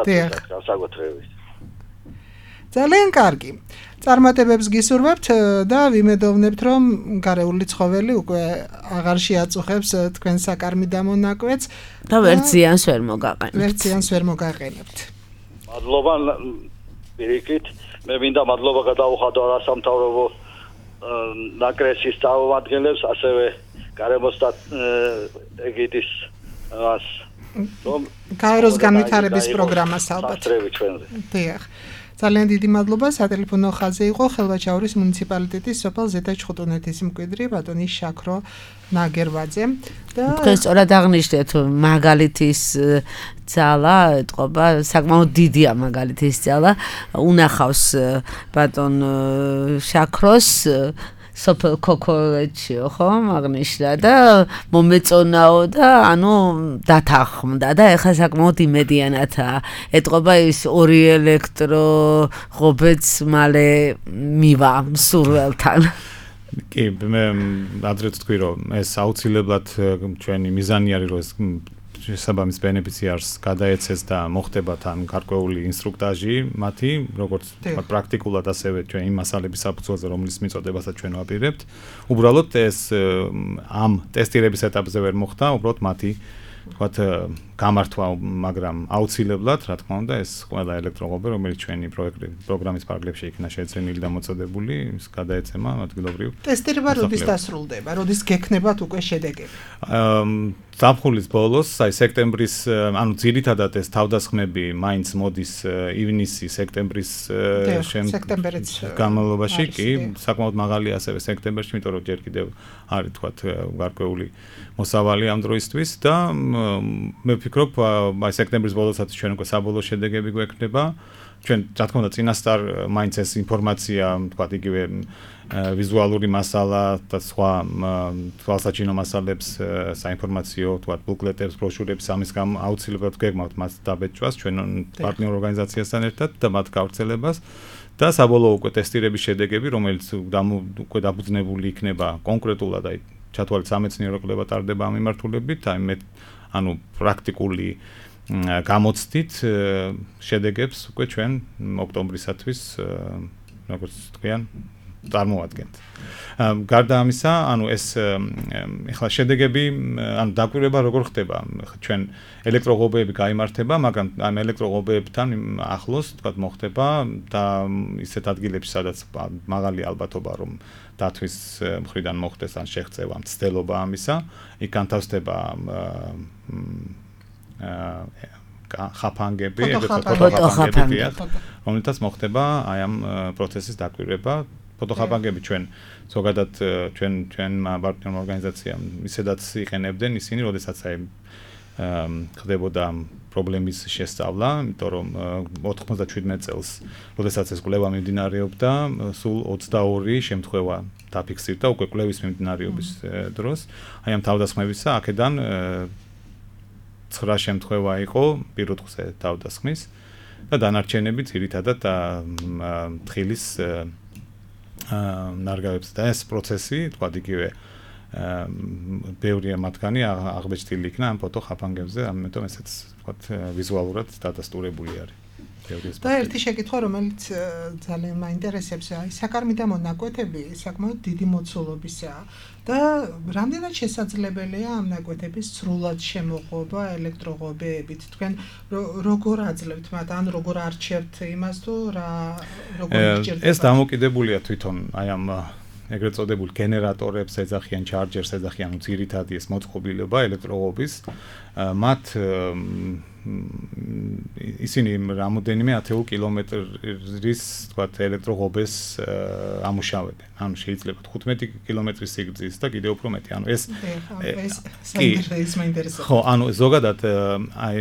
დიახ, განსაკუთრებით. ძალიან კარგი. წარმატებებს გისურვებთ და ვიმედოვნებთ რომ გარეული ცხოველი უკვე აღარ შეაწუხებს თქვენ საკარმიდამო ნაკვეთს და ვერც ზიანს ვერ მოგაყენებთ. ვერც ზიანს ვერ მოგაყენებთ. მადლობა პირიქით, მე მინდა მადლობა გადავუხადო არასამთავრობო ნაკრესის წარმომადგენლებს, ასევე გარემოს და ეგიდის რომ გაეროს განვითარების პროგრამას ალბათ. დიახ. ძალიან დიდი მადლობა. სატელეფონო ხაზზე იყო ხელვაჩაურის მუნიციპალიტეტის სოფელ ზედა-ჩხუტუნეთის მკვიდრი ბატონი შაქრო ნაგერვაძე და თქვენ სწორად აღნიშნეთ მაგალითის ძალა ეთყობა საკმაოდ დიდია მაგალითის ძალა უნახავს ბატონ შაქროს სოფელ ქოქოლეთშიო ხო აღნიშნა და მომეწონაო და ანუ დათანხმდა და ეხლა საკმაოდ იმედიანათაა ეთყობა ის 2 ელექტრო ღობეც მალე მივა სურველთან კი მე ადრეც თქვი რომ ეს აუცილებლად ჩვენი მიზანი არის რომ ეს შესაბამის ბენეფიციარს გადაეცეს და მოხდება თან გარკვეული ინსტრუქტაჟი მათი, როგორც პრაქტიკულად ასევე ჩვენ იმ მასალების საფუძველზე, რომლის მიწოდებასაც ჩვენ ვაპირებთ. უბრალოდ ეს ამ ტესტირების ეტაპზე ვერ მოხდა, უბრალოდ მათი ვთქვათ გამართვა, მაგრამ აუცილებლად, რა თქმა უნდა, ეს ყველა ელექტროღობე, რომელიც ჩვენი პროგრამის პარკლებში იქნა შეძენილი და მოწოდებული, ის გადაეცემა ადგილობრივ. ტესტირება როდის დასრულდება? როდის გექნებათ უკვე შედეგები? ზაფხულის ბოლოს, აი სექტემბრის, ანუ ძირითადად ეს თავდასხმები მაინც მოდის ივნისი, სექტემბრის განმავლობაში, კი, საკმაოდ მაღალია ასევე სექტემბერში, იმიტომ რომ ჯერ კიდევ არის თქვათ გარკვეული მოსავალი ამ დროისთვის და მე ვფიქრობ, აი სექტემბრის ბოლოსაც ჩვენ უკვე საბოლოო შედეგები გვექნება. ჩვენ, რა თქმა უნდა, წინასწარ მაინც ეს ინფორმაცია, თქვათ იგივე ვიზუალური მასალა და სხვა თვალსაჩინო მასალებს, საინფორმაციო, თქვათ ბუკლეტებს, ბროშურებს ამის გამო აუცილებლად გეგმავთ მას დაბეჭვას ჩვენ პარტნიორ ორგანიზაციასთან ერთად და მათ გავრცელებას და საბოლოო უკვე ტესტირების შედეგები, რომელიც უკვე დაფუძნებული იქნება კონკრეტულად აი ჩათვალეთ სამეცნიერო კვლევა ტარდება ამ მიმართულებით, აი მე ანუ პრაქტიკული გამოცდით შედეგებს უკვე ჩვენ ოქტომბრისათვის როგორც თქვენ წარმოვადგენთ. გარდა ამისა, ანუ ეს ეხლა შედეგები, ანუ დაკვირვება როგორ ხდება? ჩვენ ელექტროღობეები გაიმართება, მაგრამ ამ ელექტროღობეებთან ახლოს, თქვათ, მოხდება და ისეთ ადგილებში, სადაც მაღალი ალბათობა რომ დათვის მხრიდან მოხდეს ან შეღწევა, მცდელობა ამისა, იქ განთავსდება ხაფანგები, ფოტოხაფანგები, რომელთაც მოხდება აი ამ პროცესის დაკვირვება. ფოტოხაფანგები ჩვენ ზოგადად ჩვენ პარტნიორ ორგანიზაციამ ისედაც იყენებდნენ ისინი, როდესაც აი ხდებოდა პრობლემის შესწავლა, იმიტომ რომ 97 წელს, როდესაც ეს კვლევა მიმდინარეობდა, სულ 22 შემთხვევა დაფიქსირდა უკვე კვლევის მიმდინარეობის დროს. აი ამ თავდასხმებისა აქედან 9 შემთხვევა იყო პირუტყვზე თავდასხმის და დანარჩენები ძირითადად თხილის ნარგავებს და ეს პროცესი, თქვათ იგივე ბევრია მათგანი აღბეჭდილი იქნა ამ ფოტოხაფანგებზე, ამიტომ ესეც თქვათ ვიზუალურად დადასტურებული არის. და ერთი შეკითხვა, რომელიც ძალიან მაინტერესებს, აი საკარმიდამო ნაკვეთები საკმაოდ დიდი მოცულობისაა და რამდენად შესაძლებელია ამ ნაკვეთების სრულად შემოღობა ელექტროღობეებით? თქვენ როგორ აძლევთ მათ, ან როგორ არჩევთ იმას თუ როგორ გიჭირდება? ეს დამოკიდებულია თვითონ აი ამ ეგრეთ წოდებულ გენერატორებს ეძახიან, ჩარჯერს ეძახიან, ძირითადი ეს მოწყობილობა ელექტროღობის. მათ ისინი რამოდენიმე 10 კილომეტრის თქვათ ელექტროღობეს ამუშავებენ. ანუ შეიძლება 15 კილომეტრის სიგრძის და კიდევ უფრო მეტი. ანუ ეს საინტერესოა. ხო, ანუ ზოგადად აი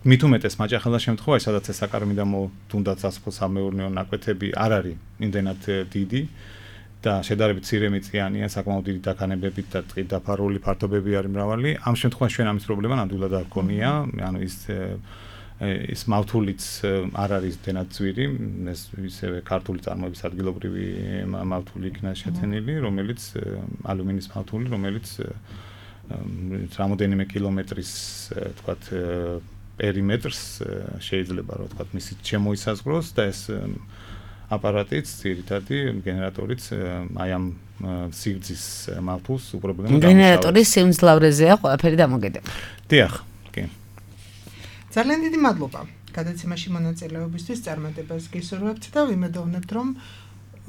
მით უმეტეს მაჭახელა შემთხვევაში, სადაც ეს საკარმიდამო თუნდაც სასოფლო-სამეურნეო ნაკვეთები არ არის იმდენად დიდი და შედარებით ცირემიწიანია, საკმაოდ დიდი დაქანებებით და ტყით დაფარული ფართობები არის მრავალი. ამ შემთხვევაში ჩვენ ამის პრობლემა ნამდვილად არ გქონია. ანუ ის მავთულიც არ არის დენად ძვირი, ეს ისევე ქართული წარმოების ადგილობრივი მავთული იქნა შეცენილი, რომელიც ალუმინის მავთული, რომელიც რამოდენიმე კილომეტრის თქვათ პერიმეტრს შეიძლება რა ვთქვათ მისი შემოისაზღვროს და ეს აპარატიც, ძირითადი გენერატორიც აი ამ სიგრძის მავთულს უპრობლემოდ ამუშავებს. გენერატორის სიმძლავრეზეა ყველაფერი დამოკიდებული. დიახ, კი. ძალიან დიდი მადლობა გადაცემაში მონაწილეობისთვის, წარმატებას გისურვებთ და ვიმედოვნებთ, რომ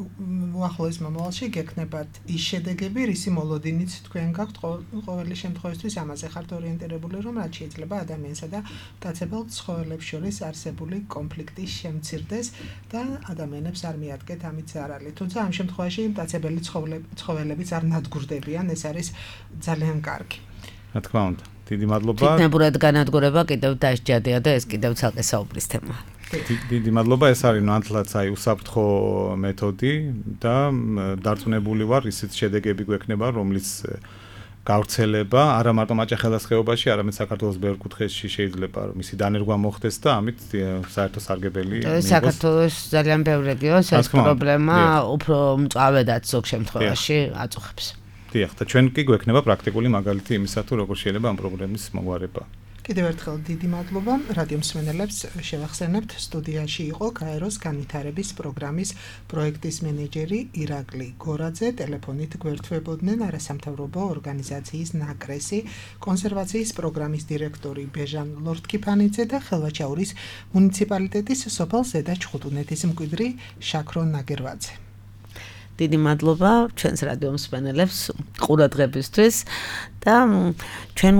უახლოეს მომავალში გექნებათ ის შედეგები, რისი მოლოდინიც თქვენ გაქვთ ყოველი შემთხვევისთვის ამაზე ხართ ორიენტირებული, რომ რაც შეიძლება ადამიანსა და მტაცებელ ცხოველებს შორის არსებული კონფლიქტი შემცირდეს და ადამიანებს არ მიადგეთ ამით ზარალი. თუმცა ამ შემთხვევაში მტაცებელი ცხოველებიც არ ნადგურდებიან, ეს არის ძალიან კარგი. რა თქმა უნდა, დიდი მადლობა. თითნებურად განადგურება კიდევ დასჯადია და ეს კიდევ ცალკე საუბრის თემაა. დიდი მადლობა, ეს არის ნამდვილად აი უსაფრთხო მეთოდი და დარწმუნებული ვარ ისეთ შედეგები გვექნება, რომლის გავრცელება არა მარტო მაჭახელას ხეობაში, არამედ საქართველოს ბევრ კუთხეში შეიძლება მისი დანერგვა მოხდეს და ამით საერთო სარგებელი მიიღოს. საქართველოს ძალიან ბევრ რეგიონს ეს პრობლემა უფრო მწვავედაც ზოგ შემთხვევაში აწუხებს. დიახ, და ჩვენ კი გვექნება პრაქტიკული მაგალითი იმისა, თუ როგორ შეიძლება ამ პრობლემის მოგვარება. კიდევ ერთხელ დიდი მადლობა რადიო მსმენელებს შევახსენებთ სტუდიაში იყო გაეროს განვითარების პროგრამის პროექტის მენეჯერი ირაკლი გორაძე, ტელეფონით გვერდთვებოდნენ არასამთავრობო ორგანიზაციის ნაკრესი, კონსერვაციის პროგრამის დირექტორი ბეჟან ლორთქიფანიძე და ხელვაჩაურის მუნიციპალიტეტის სოფელ ზედა ჩხუტუნეთის მკვიდრი შაქრო ნაგერვაძე. დიდი მადლობა ჩვენს რადიო მსმენელებს ყურადღებისთვის და ჩვენ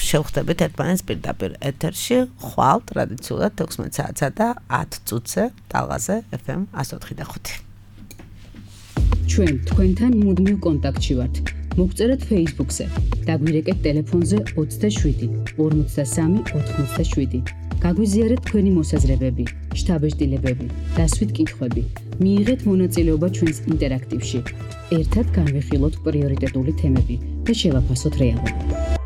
შევხვდებით ერთმანეთს პირდაპირ ეთერში ხვალ ტრადიციულად 16 საათსა და 10 წუთზე ტალღაზე FM 104.5. ჩვენ თქვენთან მუდმივ კონტაქტში ვართ. მოგწერეთ Facebook-ზე, დაგვირეკეთ ტელეფონზე 27 53 87. გაგვიზიარეთ თქვენი მოსაზრებები, შთაბეჭდილებები, დასვით კითხვები. მიიღეთ მონაწილეობა ჩვენს ინტერაქტივში. ერთად განვიხილოთ პრიორიტეტული თემები და შევაფასოთ რეალობა.